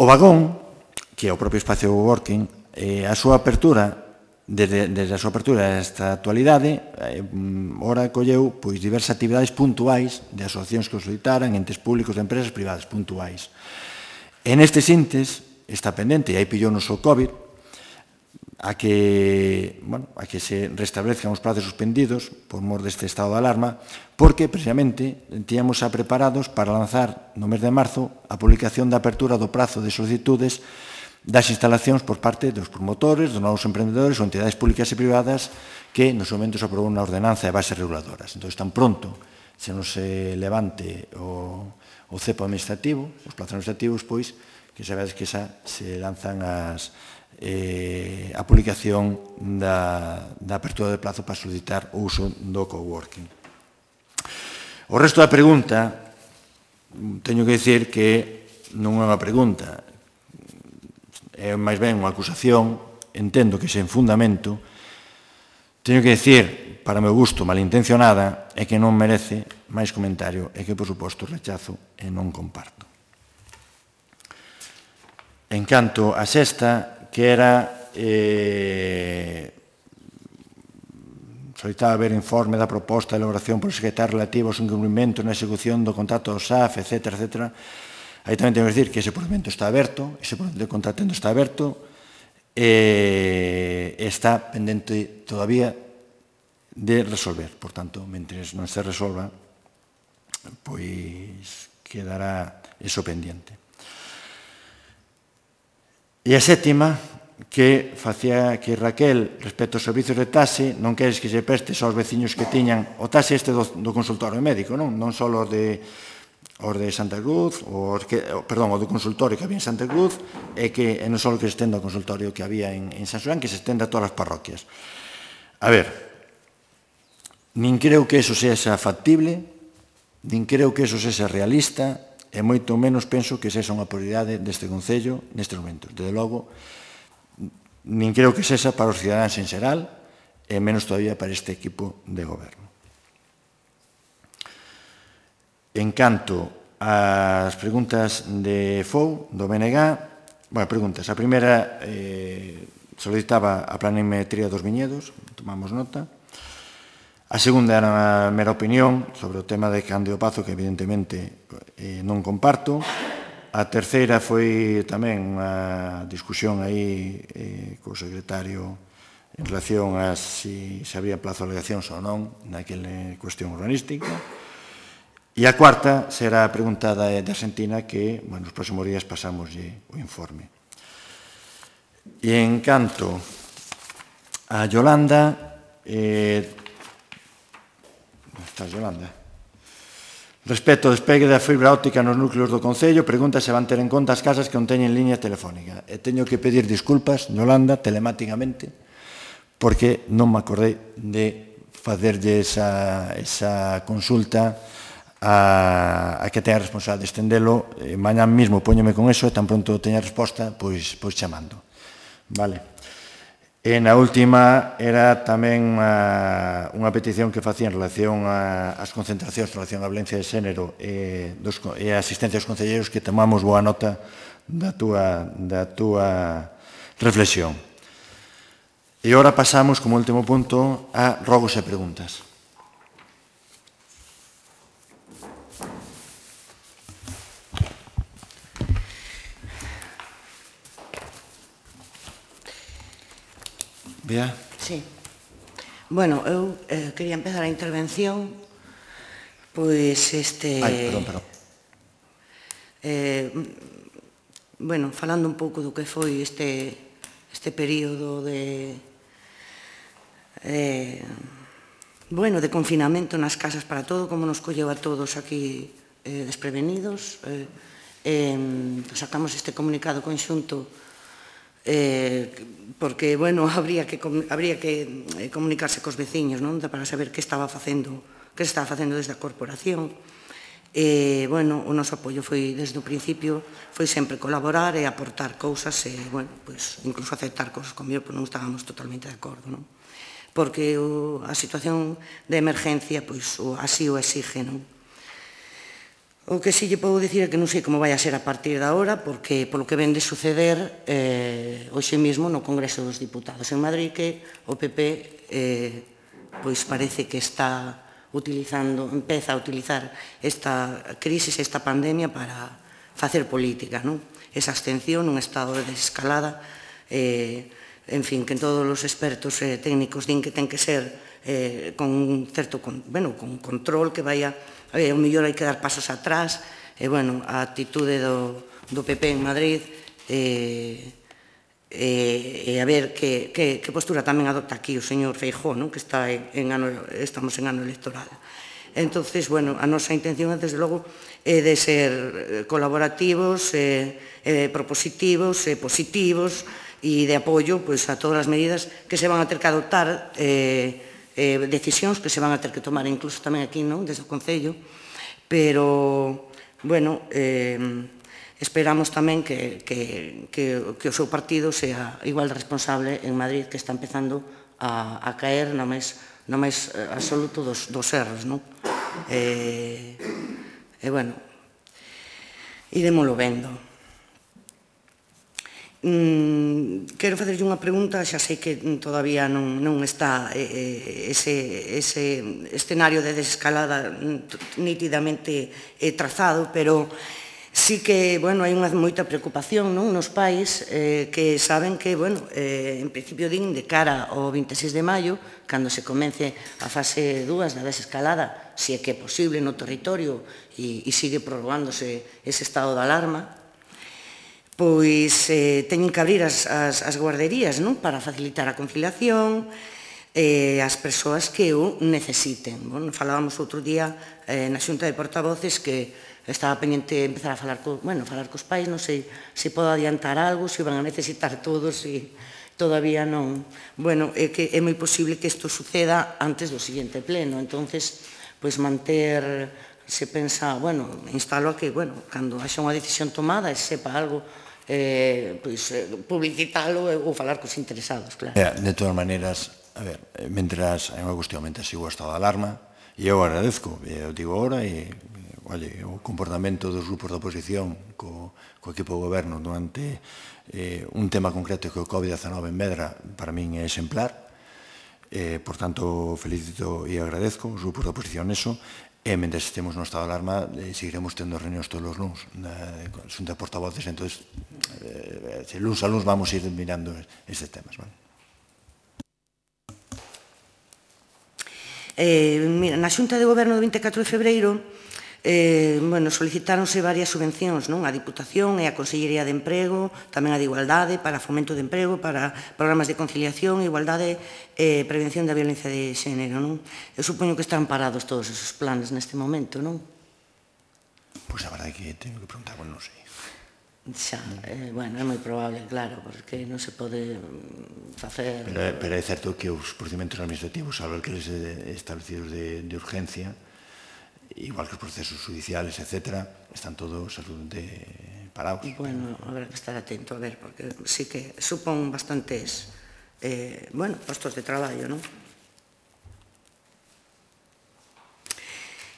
O vagón, que é o propio espacio de coworking, a súa apertura desde a súa apertura esta actualidade, ora colleu diversas actividades puntuais de asociacións que o solicitaran, entes públicos de empresas privadas puntuais. E nestes intes está pendente, e aí pillou-nos o COVID, a que se restablezcan os prazos suspendidos por mor deste estado de alarma, porque, precisamente, tíamos xa preparados para lanzar no mes de marzo a publicación da apertura do prazo de solicitudes das instalacións por parte dos promotores, dos novos emprendedores ou entidades públicas e privadas que nos momentos aprobou unha ordenanza de bases reguladoras. Entón, tan pronto se nos levante o cepo administrativo, os plazos administrativos, pois, que sabedes que xa se lanzan a publicación da apertura de plazo para solicitar o uso do coworking. O resto da pregunta, teño que dicir que non é unha pregunta, é máis ben unha acusación, entendo que sen fundamento, teño que dicir, para o meu gusto, malintencionada, é que non merece máis comentario e que, por suposto, rechazo e non comparto. En canto a sexta, que era solicitaba ver informe da proposta de elaboración por secretario relativo aos incumprimentos na execución do contrato do SAF, etc., etc., aí tamén tengo que decir que ese procedimento está aberto, ese procedimento de contratendo está aberto, e está pendente todavía de resolver. Por tanto, mentres non se resolva, pois quedará eso pendiente. E a sétima, que facía que Raquel, respecto aos servizos de taxi, non queres que se prestes aos veciños que tiñan o taxi este do consultorio médico, non só os de Santa Cruz, o do consultorio que había en Santa Cruz, e non só que se estenda ao consultorio que había en San Xoán, que se estenda a todas as parroquias. A ver, nin creo que eso sexa factible, nin creo que eso sexa realista, e moito menos penso que sexa unha prioridade deste Concello nestes momentos. Desde logo, nin creo que sexa para os cidadáns en xeral, e menos todavía para este equipo de goberno. En canto ás preguntas de FOU, do BNG, preguntas. A primeira solicitaba a planimetría dos viñedos, tomamos nota. A segunda era unha mera opinión sobre o tema de Cándido Pazo, que evidentemente non comparto. A terceira foi tamén unha discusión aí co secretario en relación a se había plazo de alegacións ou non naquela cuestión urbanística. E a cuarta será a pregunta de Argentina que, nos próximos días pasamoslle o informe. E en canto a Yolanda, está Yolanda, respecto ao despegue da fibra óptica nos núcleos do Concello, pregunta se van ter en conta as casas que non teñen liña telefónica. E teño que pedir disculpas, Yolanda, telemáticamente, porque non me acordei de facerlle esa consulta a que teña responsable de estendelo. Mañá mismo póñome con eso e tan pronto teña resposta, pois chamando. Vale. E na última era tamén unha petición que facía en relación ás concentracións en relación á violencia de xénero e a asistencia aos concelleiros, que tomamos boa nota da túa reflexión. E agora pasamos, como último punto, a rogos e preguntas. Bea? Sí. Bueno, eu quería empezar a intervención pois Perdón. Bueno, falando un pouco do que foi este período de confinamento nas casas para todo, como nos colleu a todos aquí desprevenidos. Sacamos este comunicado conxunto porque, habría que comunicarse cos veciños, non? Para saber que se estaba facendo desde a corporación. O noso apoio foi, desde o principio, foi sempre colaborar e aportar cousas e, incluso aceptar cousas comigo, porque non estábamos totalmente de acordo, non? Porque a situación de emergencia, así o exige, non? O que sí lle podo dicir é que non sei como vai a ser a partir de agora, porque polo que ven de suceder hoxe mesmo no Congreso dos Diputados en Madrid, que o PP pois parece que empeza a utilizar esta crise, esta pandemia para facer política, non? Esa abstención nun estado de desescalada, en fin, que todos os expertos técnicos din que ten que ser con un certo, bueno, con control, que vaya, o mellor hai que dar pasos atrás, e, bueno, a actitude do PP en Madrid, e a ver que postura tamén adopta aquí o señor Feijóo, que estamos en ano electoral. Entonces, bueno, a nosa intención, desde logo, é de ser colaborativos, propositivos, positivos, e de apoio a todas as medidas que se van a ter que adoptar, decisións que se van a ter que tomar incluso tamén aquí, desde o Concello, pero, bueno, esperamos tamén que o seu partido sea igual de responsable en Madrid, que está empezando a caer no máis absoluto dos erros, non? E, bueno, iremoslo vendo. Quero facerlle unha pregunta, xa sei que todavía non está ese escenario de desescalada nítidamente trazado, pero sí que, bueno, hai unha moita preocupación nos pais que saben que, bueno, en principio din de cara ao 26 de maio, cando se comence a fase 2 da desescalada, se é que é posible no territorio e sigue prorrogándose ese estado de alarma, pois teñen que abrir as guarderías para facilitar a conciliación ás persoas que o necesiten. Falábamos outro día na Xunta de Portavoces que estaba pendiente de empezar a falar cos pais, non sei se podo adiantar algo, se van a necesitar todos, e todavía non. Bueno, é que é moi posible que isto suceda antes do seguinte pleno, entonces, pois manter, se pensa, bueno, instalo a que, bueno, cando haxa unha decisión tomada e sepa algo, publicitalo ou falar cos interesados, claro. De todas maneiras, a ver, mentras hai unha cuestión, mentras sigo o estado de alarma, e eu agradezco, eu digo ahora, e o comportamento dos grupos da oposición co equipo do goberno durante un tema concreto que o COVID-19 en Medra, para min é exemplar, por tanto, felicito e agradezco os grupos da oposición eso, e mentre estemos no estado de alarma seguiremos tendo reunións todos os luns na Xunta de Portavoces, entón luns a luns vamos ir mirando estes temas. Mira, na Xunta de Goberno do 24 de febreiro solicitáronse varias subvencións a Diputación e a Consellería de Emprego, tamén a de Igualdade, para fomento de emprego, para programas de conciliación, igualdade e prevención da violencia de xénero. Eu supoño que están parados todos esos planes neste momento, non? Pois a verdade é que teño que preguntar, non sei. Xa, bueno, é moi probable, claro, porque non se pode facer... Pero é certo que os procedimentos administrativos, salvo aqueles establecidos de urgencia, igual que os procesos judiciales, etc., están todos absolutamente parados. Bueno, habrá que estar atento, a ver, porque sí que supón bastantes, postos de traballo, non?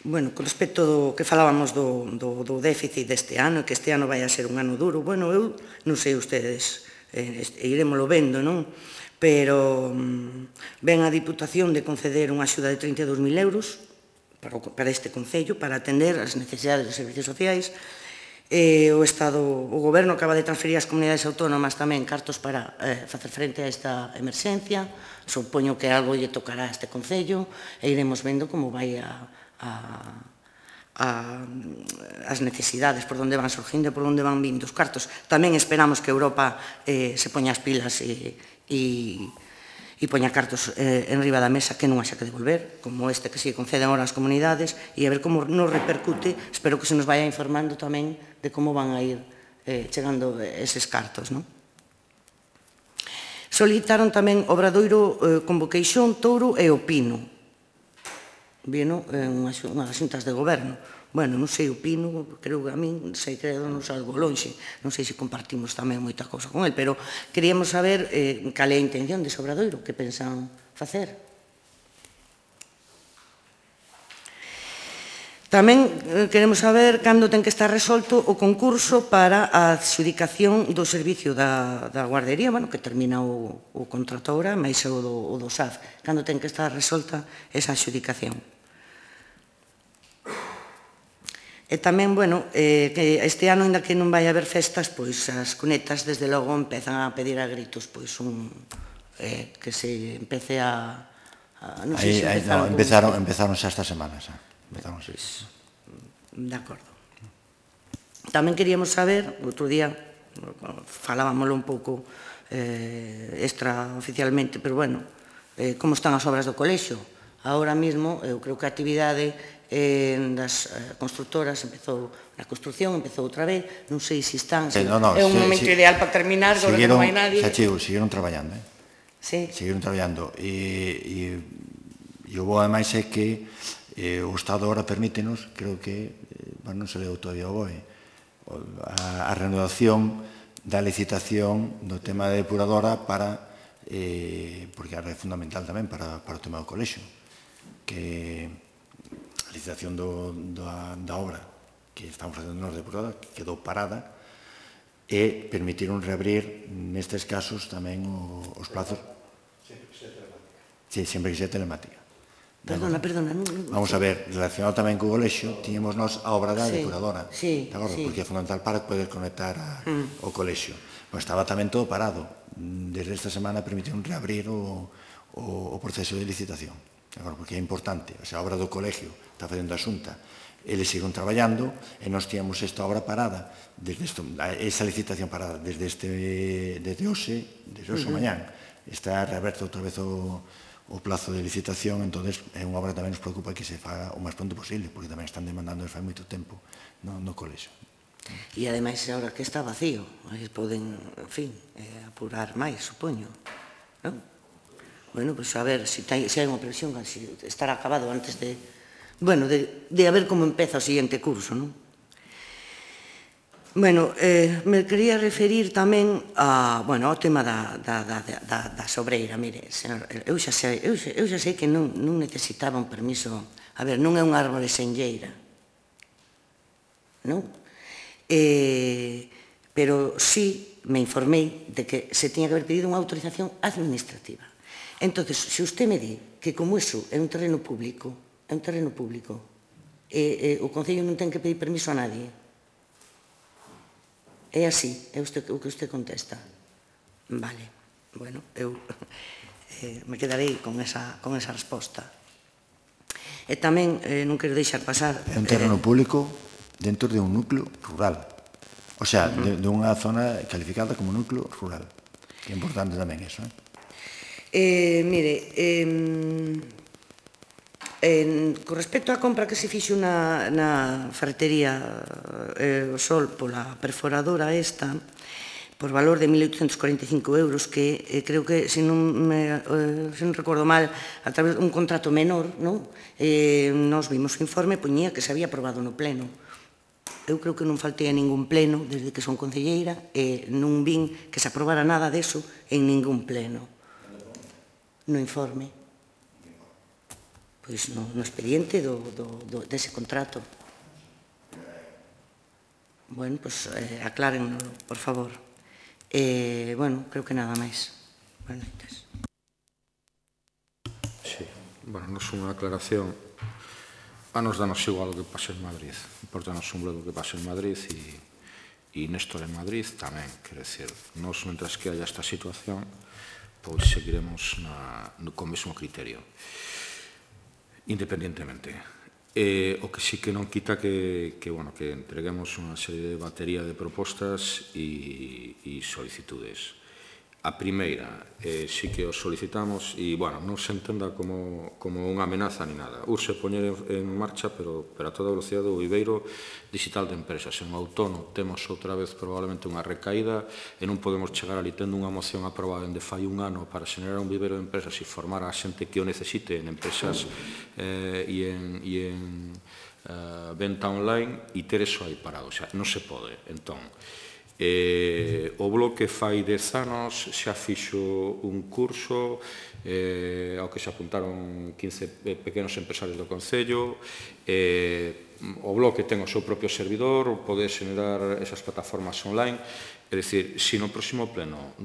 Bueno, con respecto do que falábamos do déficit deste ano, que este ano vai a ser un ano duro, bueno, eu non sei ustedes, iremoslo vendo, non? Pero ven a Diputación de conceder unha axuda de 32.000 euros para este Concello, para atender as necesidades dos servicios sociais. O Goberno acaba de transferir ás comunidades autónomas tamén cartos para facer frente a esta emerxencia. Supoño que algo lle tocará a este Concello e iremos vendo como vai as necesidades, por onde van surgindo e por onde van vindo os cartos. Tamén esperamos que Europa se poña as pilas e poña cartos en riba da mesa que non haxa que devolver, como este que se conceden agora ás comunidades, e a ver como nos repercute. Espero que se nos vaya informando tamén de como van a ir chegando eses cartos, non? Solicitaron tamén Obradoiro, Convoqueixón, Touro e o Pino. Vino en unhas xuntas de goberno. Bueno, non sei, o Pino, creo que a min, sei que non salgo lonxe, non sei se compartimos tamén moita cousa con el, pero queríamos saber cal é a intención de Obradoiro, que pensan facer. Tamén queremos saber cando ten que estar resolto o concurso para a adxudicación do servicio da guardería, bueno, que termina o contrato ahora, máis o do SAF. Cando ten que estar resolta esa adxudicación. E tamén, bueno, que este ano, ainda que non vai haber festas, pois as cunetas, desde logo, empezan a pedir a gritos, pois que se empece a... Non sei se empezaron xa esta semana, xa. De acordo. Tamén queríamos saber, outro día falábamoslo un pouco extraoficialmente, pero bueno, como están as obras do colexio. Ahora mesmo, eu creo que a actividade das constructoras empezou na construcción, empezou outra vez, non sei se están, é un momento ideal para terminar, agora que non hai nadie. Seguiron traballando, Sí. Seguiron traballando, e o bo ademais é que o Estado ahora permítenos, creo que, non se leu todavía o BOE, a renovación da licitación do tema de depuradora para, porque é fundamental tamén para o tema do colexio, que a licitación da obra que estamos facendo nos depuradora quedou parada e permitiron reabrir nestes casos tamén os plazos. Sempre que sea telemática. Perdona. Vamos a ver, relacionado tamén co colexio, tiñemos nós a obra da depuradora, porque é fundamental para poder conectar ao colexio. Estaba tamén todo parado. Desde esta semana permitiron reabrir o proceso de licitación, porque é importante. A obra do colegio está facendo a Xunta, eles siguen traballando e nós tíamos esta obra parada, esa licitación parada desde hoxe mañán. Está reaberto outra vez o plazo de licitación, entón é unha obra que tamén nos preocupa que se faga o máis pronto posible, porque tamén están demandando desde fai moito tempo no colexio. E ademais, agora que está vacío, aí poden, en fin, apurar máis, supoño. Bueno, pois a ver se hai unha previsión, se estará acabado antes de... Bueno, de a ver como empeza o seguinte curso, non? Bueno, me quería referir tamén ao tema da sobreira. Mire, eu xa sei que non necesitaba un permiso. A ver, non é un árbore senlleira, non? Pero sí me informei de que se tiña que haber pedido unha autorización administrativa. Entón, se usted me di que como iso é un terreno público, o Concello non ten que pedir permiso a nadie. É así, é o que usted contesta. Vale, bueno, eu me quedarei con esa resposta. E tamén non quero deixar pasar... É un terreno público dentro de un núcleo rural. O sea, de unha zona calificada como núcleo rural. Que é importante tamén eso, Mire, con respecto á compra que se fixo na ferretería O Sol pola perforadora esta, por valor de 1.845 euros, que creo que, se non recordo mal, a través dun contrato menor, nos vimos o informe, poñía que se había aprobado no pleno. Eu creo que non faltei a ningún pleno desde que son concelleira e non vin que se aprobara nada deso en ningún pleno. No informe. Pois no expediente dese contrato. Bueno, pois aclárenlo, por favor. Bueno, creo que nada máis. Buenas noites. Sí, bueno, nos unha aclaración. A nos danos igual o que pase en Madrid. Importanos un bledo que pase en Madrid e Néstor en Madrid tamén. Quer decir, nos, mentras que haya esta situación, pois seguiremos co mesmo criterio. Independientemente. O que sí que non quita que entreguemos unha serie de batería de propostas e solicitudes. A primeira, sí que os solicitamos e, non se entenda como unha amenaza ni nada. Urxe poñer en marcha, pero a toda velocidade, o viveiro digital de empresas. En outono temos outra vez probablemente unha recaída e non podemos chegar ali tendo unha moción aprobada dende fai un ano para xenerar un viveiro de empresas e formar a xente que o necesite en empresas e en venta online e ter eso aí parado. O sea, non se pode. Entón, O Bloque fai 10 anos xa fixo un curso ao que se apuntaron 15 pequenos empresarios do Concello. O Bloque ten o seu propio servidor, pode xenerar esas plataformas online. É dicir, se no próximo pleno,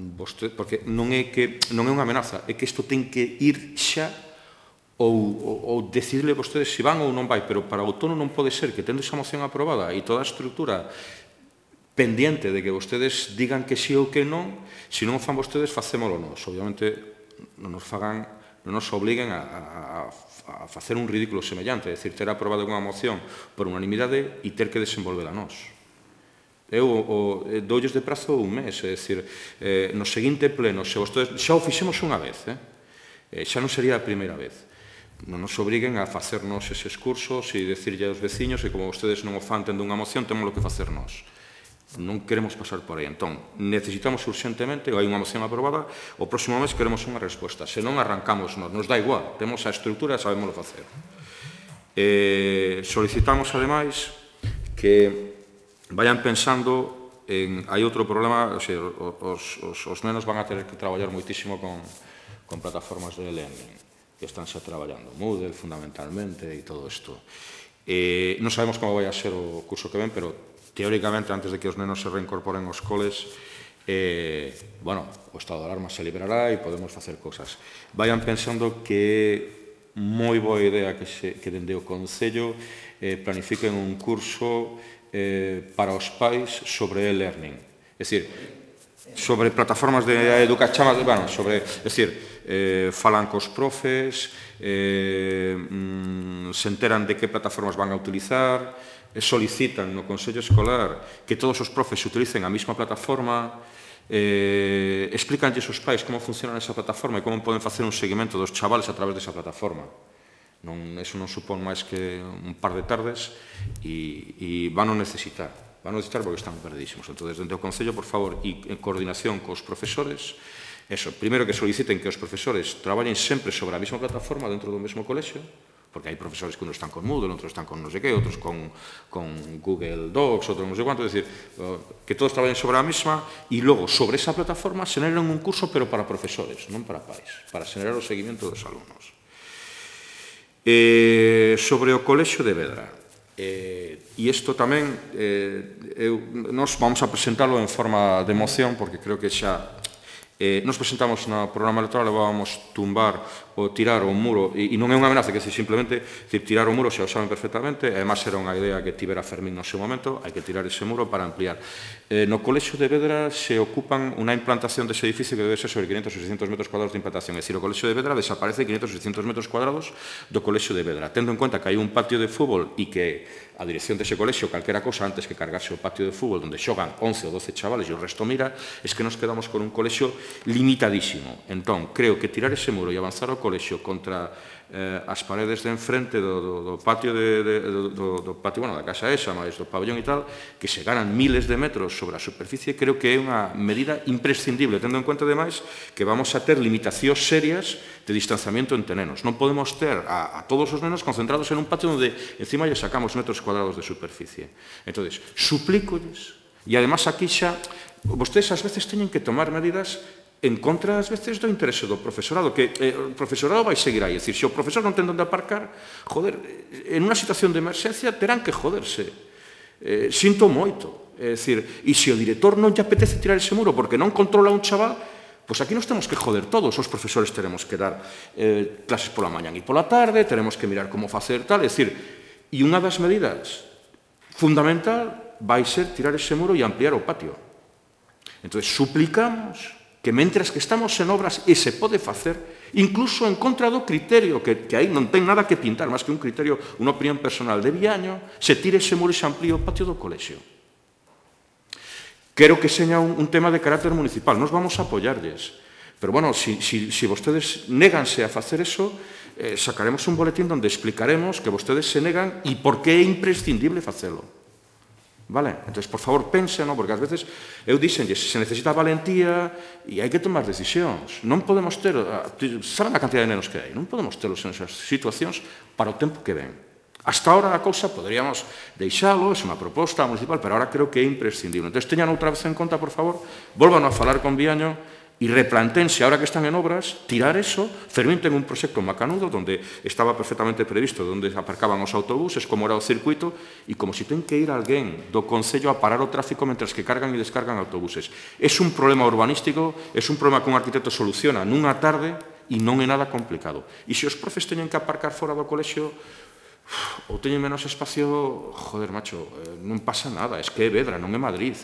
porque non é unha amenaza, é que isto ten que ir xa ou decidirle vostedes se van ou non vai, pero para o outono non pode ser que tendo esa moción aprobada e toda a estrutura pendiente de que vostedes digan que sí ou que non, se non o fan vostedes, facémolo nós. Obviamente, non nos obliguen a facer un ridículo semellante, é dicir, ter aprobado unha moción por unanimidade e ter que desenvolvela nós. Eu doulles de prazo un mes, é dicir, no seguinte pleno, se vostedes, xa o fixemos unha vez, xa non sería a primeira vez. Non nos obriguen a facernos eses cursos e decirlle aos veciños que como vostedes non o fan tendo unha moción, temos que facer nós. Non queremos pasar por aí. Entón, necesitamos urgentemente, hai unha moción aprobada, o próximo mes queremos unha resposta. Se non arrancamos nos dá igual, temos a estrutura e sabemos facer. Solicitamos, ademais, que vayan pensando en... Hai outro problema, os nenos van a ter que traballar moitísimo con plataformas de e-learning, que están xa traballando, Moodle fundamentalmente e todo isto. Non sabemos como vai a ser o curso que ven, pero teóricamente, antes de que os nenos se reincorporen aos coles, o estado de alarma se liberará e podemos facer cosas. Vayan pensando que é moi boa idea que dende o Concello planifiquen un curso para os pais sobre e-learning. É dicir, sobre plataformas de educación, falan cos profes, se enteran de que plataformas van a utilizar, solicitan no Consello Escolar que todos os profes utilicen a mesma plataforma, explícanlles os pais como funciona esa plataforma e como poden facer un seguimento dos chavales a través desa plataforma. Eso non supón máis que un par de tardes e van a necesitar porque están perdidísimos. Entón, desde o Concello, por favor, e en coordinación cos profesores, primeiro que soliciten que os profesores traballen sempre sobre a mesma plataforma dentro do mesmo colexio, porque hai profesores que unos están con Moodle, outros están con non sei que, outros con Google Docs, outros non sei cuánto, é dicir, que todos traballen sobre a mesma e logo, sobre esa plataforma, xeneran un curso, pero para profesores, non para pais, para xenerar o seguimento dos alumnos. Sobre o colexio de Vedra, e isto tamén, nos vamos a presentalo en forma de moción, porque creo que xa nos presentamos no programa electoral e vamos tumbar ou tirar o muro, e non é unha amenaza, que é simplemente tirar o muro, xa o saben perfectamente, e además era unha idea que tivera Fermín no seu momento, hai que tirar ese muro para ampliar. No colexio de Vedra se ocupan unha implantación dese edificio que debe ser sobre 500 ou 600 metros cuadrados de implantación, é dicir, o colexio de Vedra desaparece 500 ou 600 metros cuadrados do colexio de Vedra, tendo en conta que hai un patio de fútbol e que a dirección dese colexio, calquera cosa antes que cargarse o patio de fútbol onde xogan 11 ou 12 chavales e o resto mira, es que nos quedamos con un colexio limitadísimo. Entón, creo que tirar ese muro e avanzar ao colexio contra as paredes de enfrente do patio da casa esa, máis do pabellón e tal, que se ganan miles de metros sobre a superficie, creo que é unha medida imprescindible, tendo en conta, ademais, que vamos a ter limitacións serias de distanciamento entre nenos. Non podemos ter a todos os nenos concentrados en un patio onde encima lle sacamos metros cuadrados de superficie. Entón, suplícolles, e además aquí xa, vostedes ás veces teñen que tomar medidas en contra, ás veces, do interese do profesorado, que o profesorado vai seguir aí. É dicir, se o profesor non ten onde aparcar, joder, en unha situación de emerxencia terán que joderse. Sinto moito. É dicir, e se o director non lle apetece tirar ese muro porque non controla un chaval, pois aquí nos temos que joder todos. Os profesores teremos que dar clases pola mañan e pola tarde, teremos que mirar como facer tal. É dicir, e unha das medidas fundamental vai ser tirar ese muro e ampliar o patio. Entón, suplicamos que mentras que estamos en obras e se pode facer, incluso en contra do criterio, que aí non ten nada que pintar, máis que un criterio, unha opinión personal de Viaño, se tire ese muro e se amplíe o patio do colexio. Quero que seña un tema de carácter municipal, nos vamos a apoyarlles. Pero, bueno, si vostedes néganse a facer eso, sacaremos un boletín onde explicaremos que vostedes se negan e por que é imprescindible facelo. Vale? Entón, por favor, pensen, porque ás veces eu dixenlles, se necesita valentía e hai que tomar decisións. Non podemos ter, saben a cantidad de nenos que hai, non podemos terlos en esas situacións para o tempo que ven. Hasta ahora a cousa poderíamos deixalo, é unha proposta municipal, pero ahora creo que é imprescindible. Entón, teñan outra vez en conta, por favor, volvan a falar con Viaño e replantense, ahora que están en obras, tirar eso, fermenten un proxecto macanudo onde estaba perfectamente previsto onde aparcaban os autobuses, como era o circuito, e como se ten que ir alguén do Concello a parar o tráfico mentre que cargan e descargan autobuses. É un problema urbanístico, é un problema que un arquitecto soluciona nunha tarde e non é nada complicado. E se os profes teñen que aparcar fora do colexio, ou teñen menos espacio, joder, macho, non pasa nada, es que é Vedra, non é Madrid,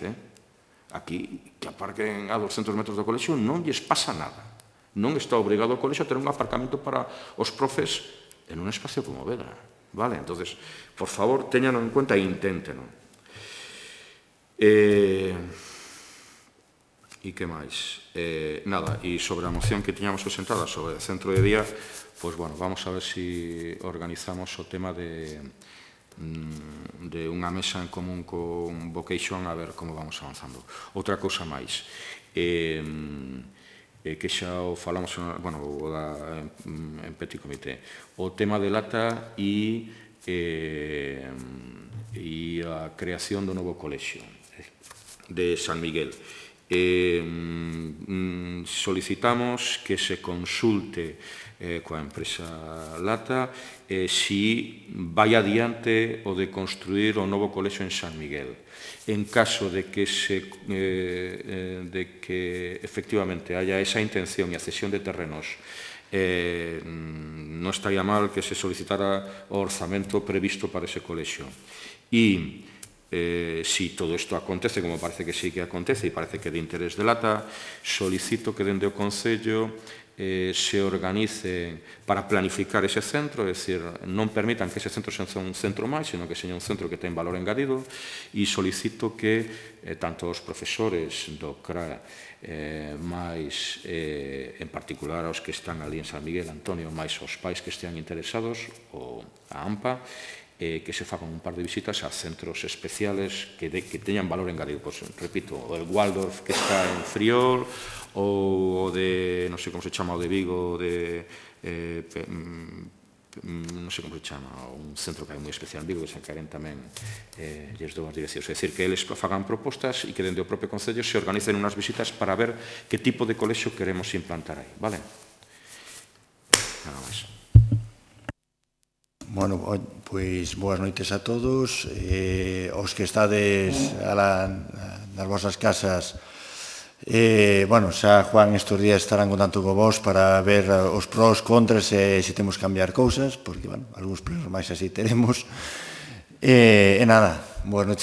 Aquí, que aparquen a 200 metros do colexio, non lles pasa nada. Non está obrigado o colexio a ter un aparcamento para os profes en un espacio como Vedra, vale? Entonces, por favor, teñanlo en cuenta e inténteno. E que máis? Nada, e sobre a moción que tiñamos presentada sobre o centro de día, pois, bueno, vamos a ver se organizamos o tema de unha mesa en común con Vocation a ver como vamos avanzando. Outra cousa máis, que xa o falamos en Petit Comité, o tema de Lata e a creación do novo colexio de San Miguel. Solicitamos que se consulte coa empresa Lata si vai adiante o de construir o novo colexio en San Miguel. En caso de que efectivamente haya esa intención e a cesión de terrenos, non estaría mal que se solicitara o orzamento previsto para ese colexio. E si todo isto acontece, como parece que sí que acontece e parece que é de interés de Lata, solicito que dende o Concello se organice para planificar ese centro, é dicir, non permitan que ese centro sea un centro máis, sino que seña un centro que ten valor engadido, e solicito que tanto os profesores do CRA máis, en particular aos que están ali en San Miguel, Antonio, máis os pais que estean interesados, ou a AMPA, que se fagan un par de visitas a centros especiales que teñan valor engadido. Pues, repito, o el Waldorf que está en Friol, ou o de, non sei como se chama, o de Vigo, non sei como se chama, un centro que hai moi especial en Vigo, que se encaren tamén lles dou as direccións. É dicir, que eles fagan propostas e que dende o propio Concello se organicen unhas visitas para ver que tipo de colexio queremos implantar aí, vale? Nada máis. Bueno, pois boas noites a todos. Os que estades nas vosas casas, bueno, xa Juan estes días estarán contando con vos para ver os pros, contras e se temos que cambiar cousas, porque, bueno, algúns problemas máis así teremos. E nada, boas noites a todos.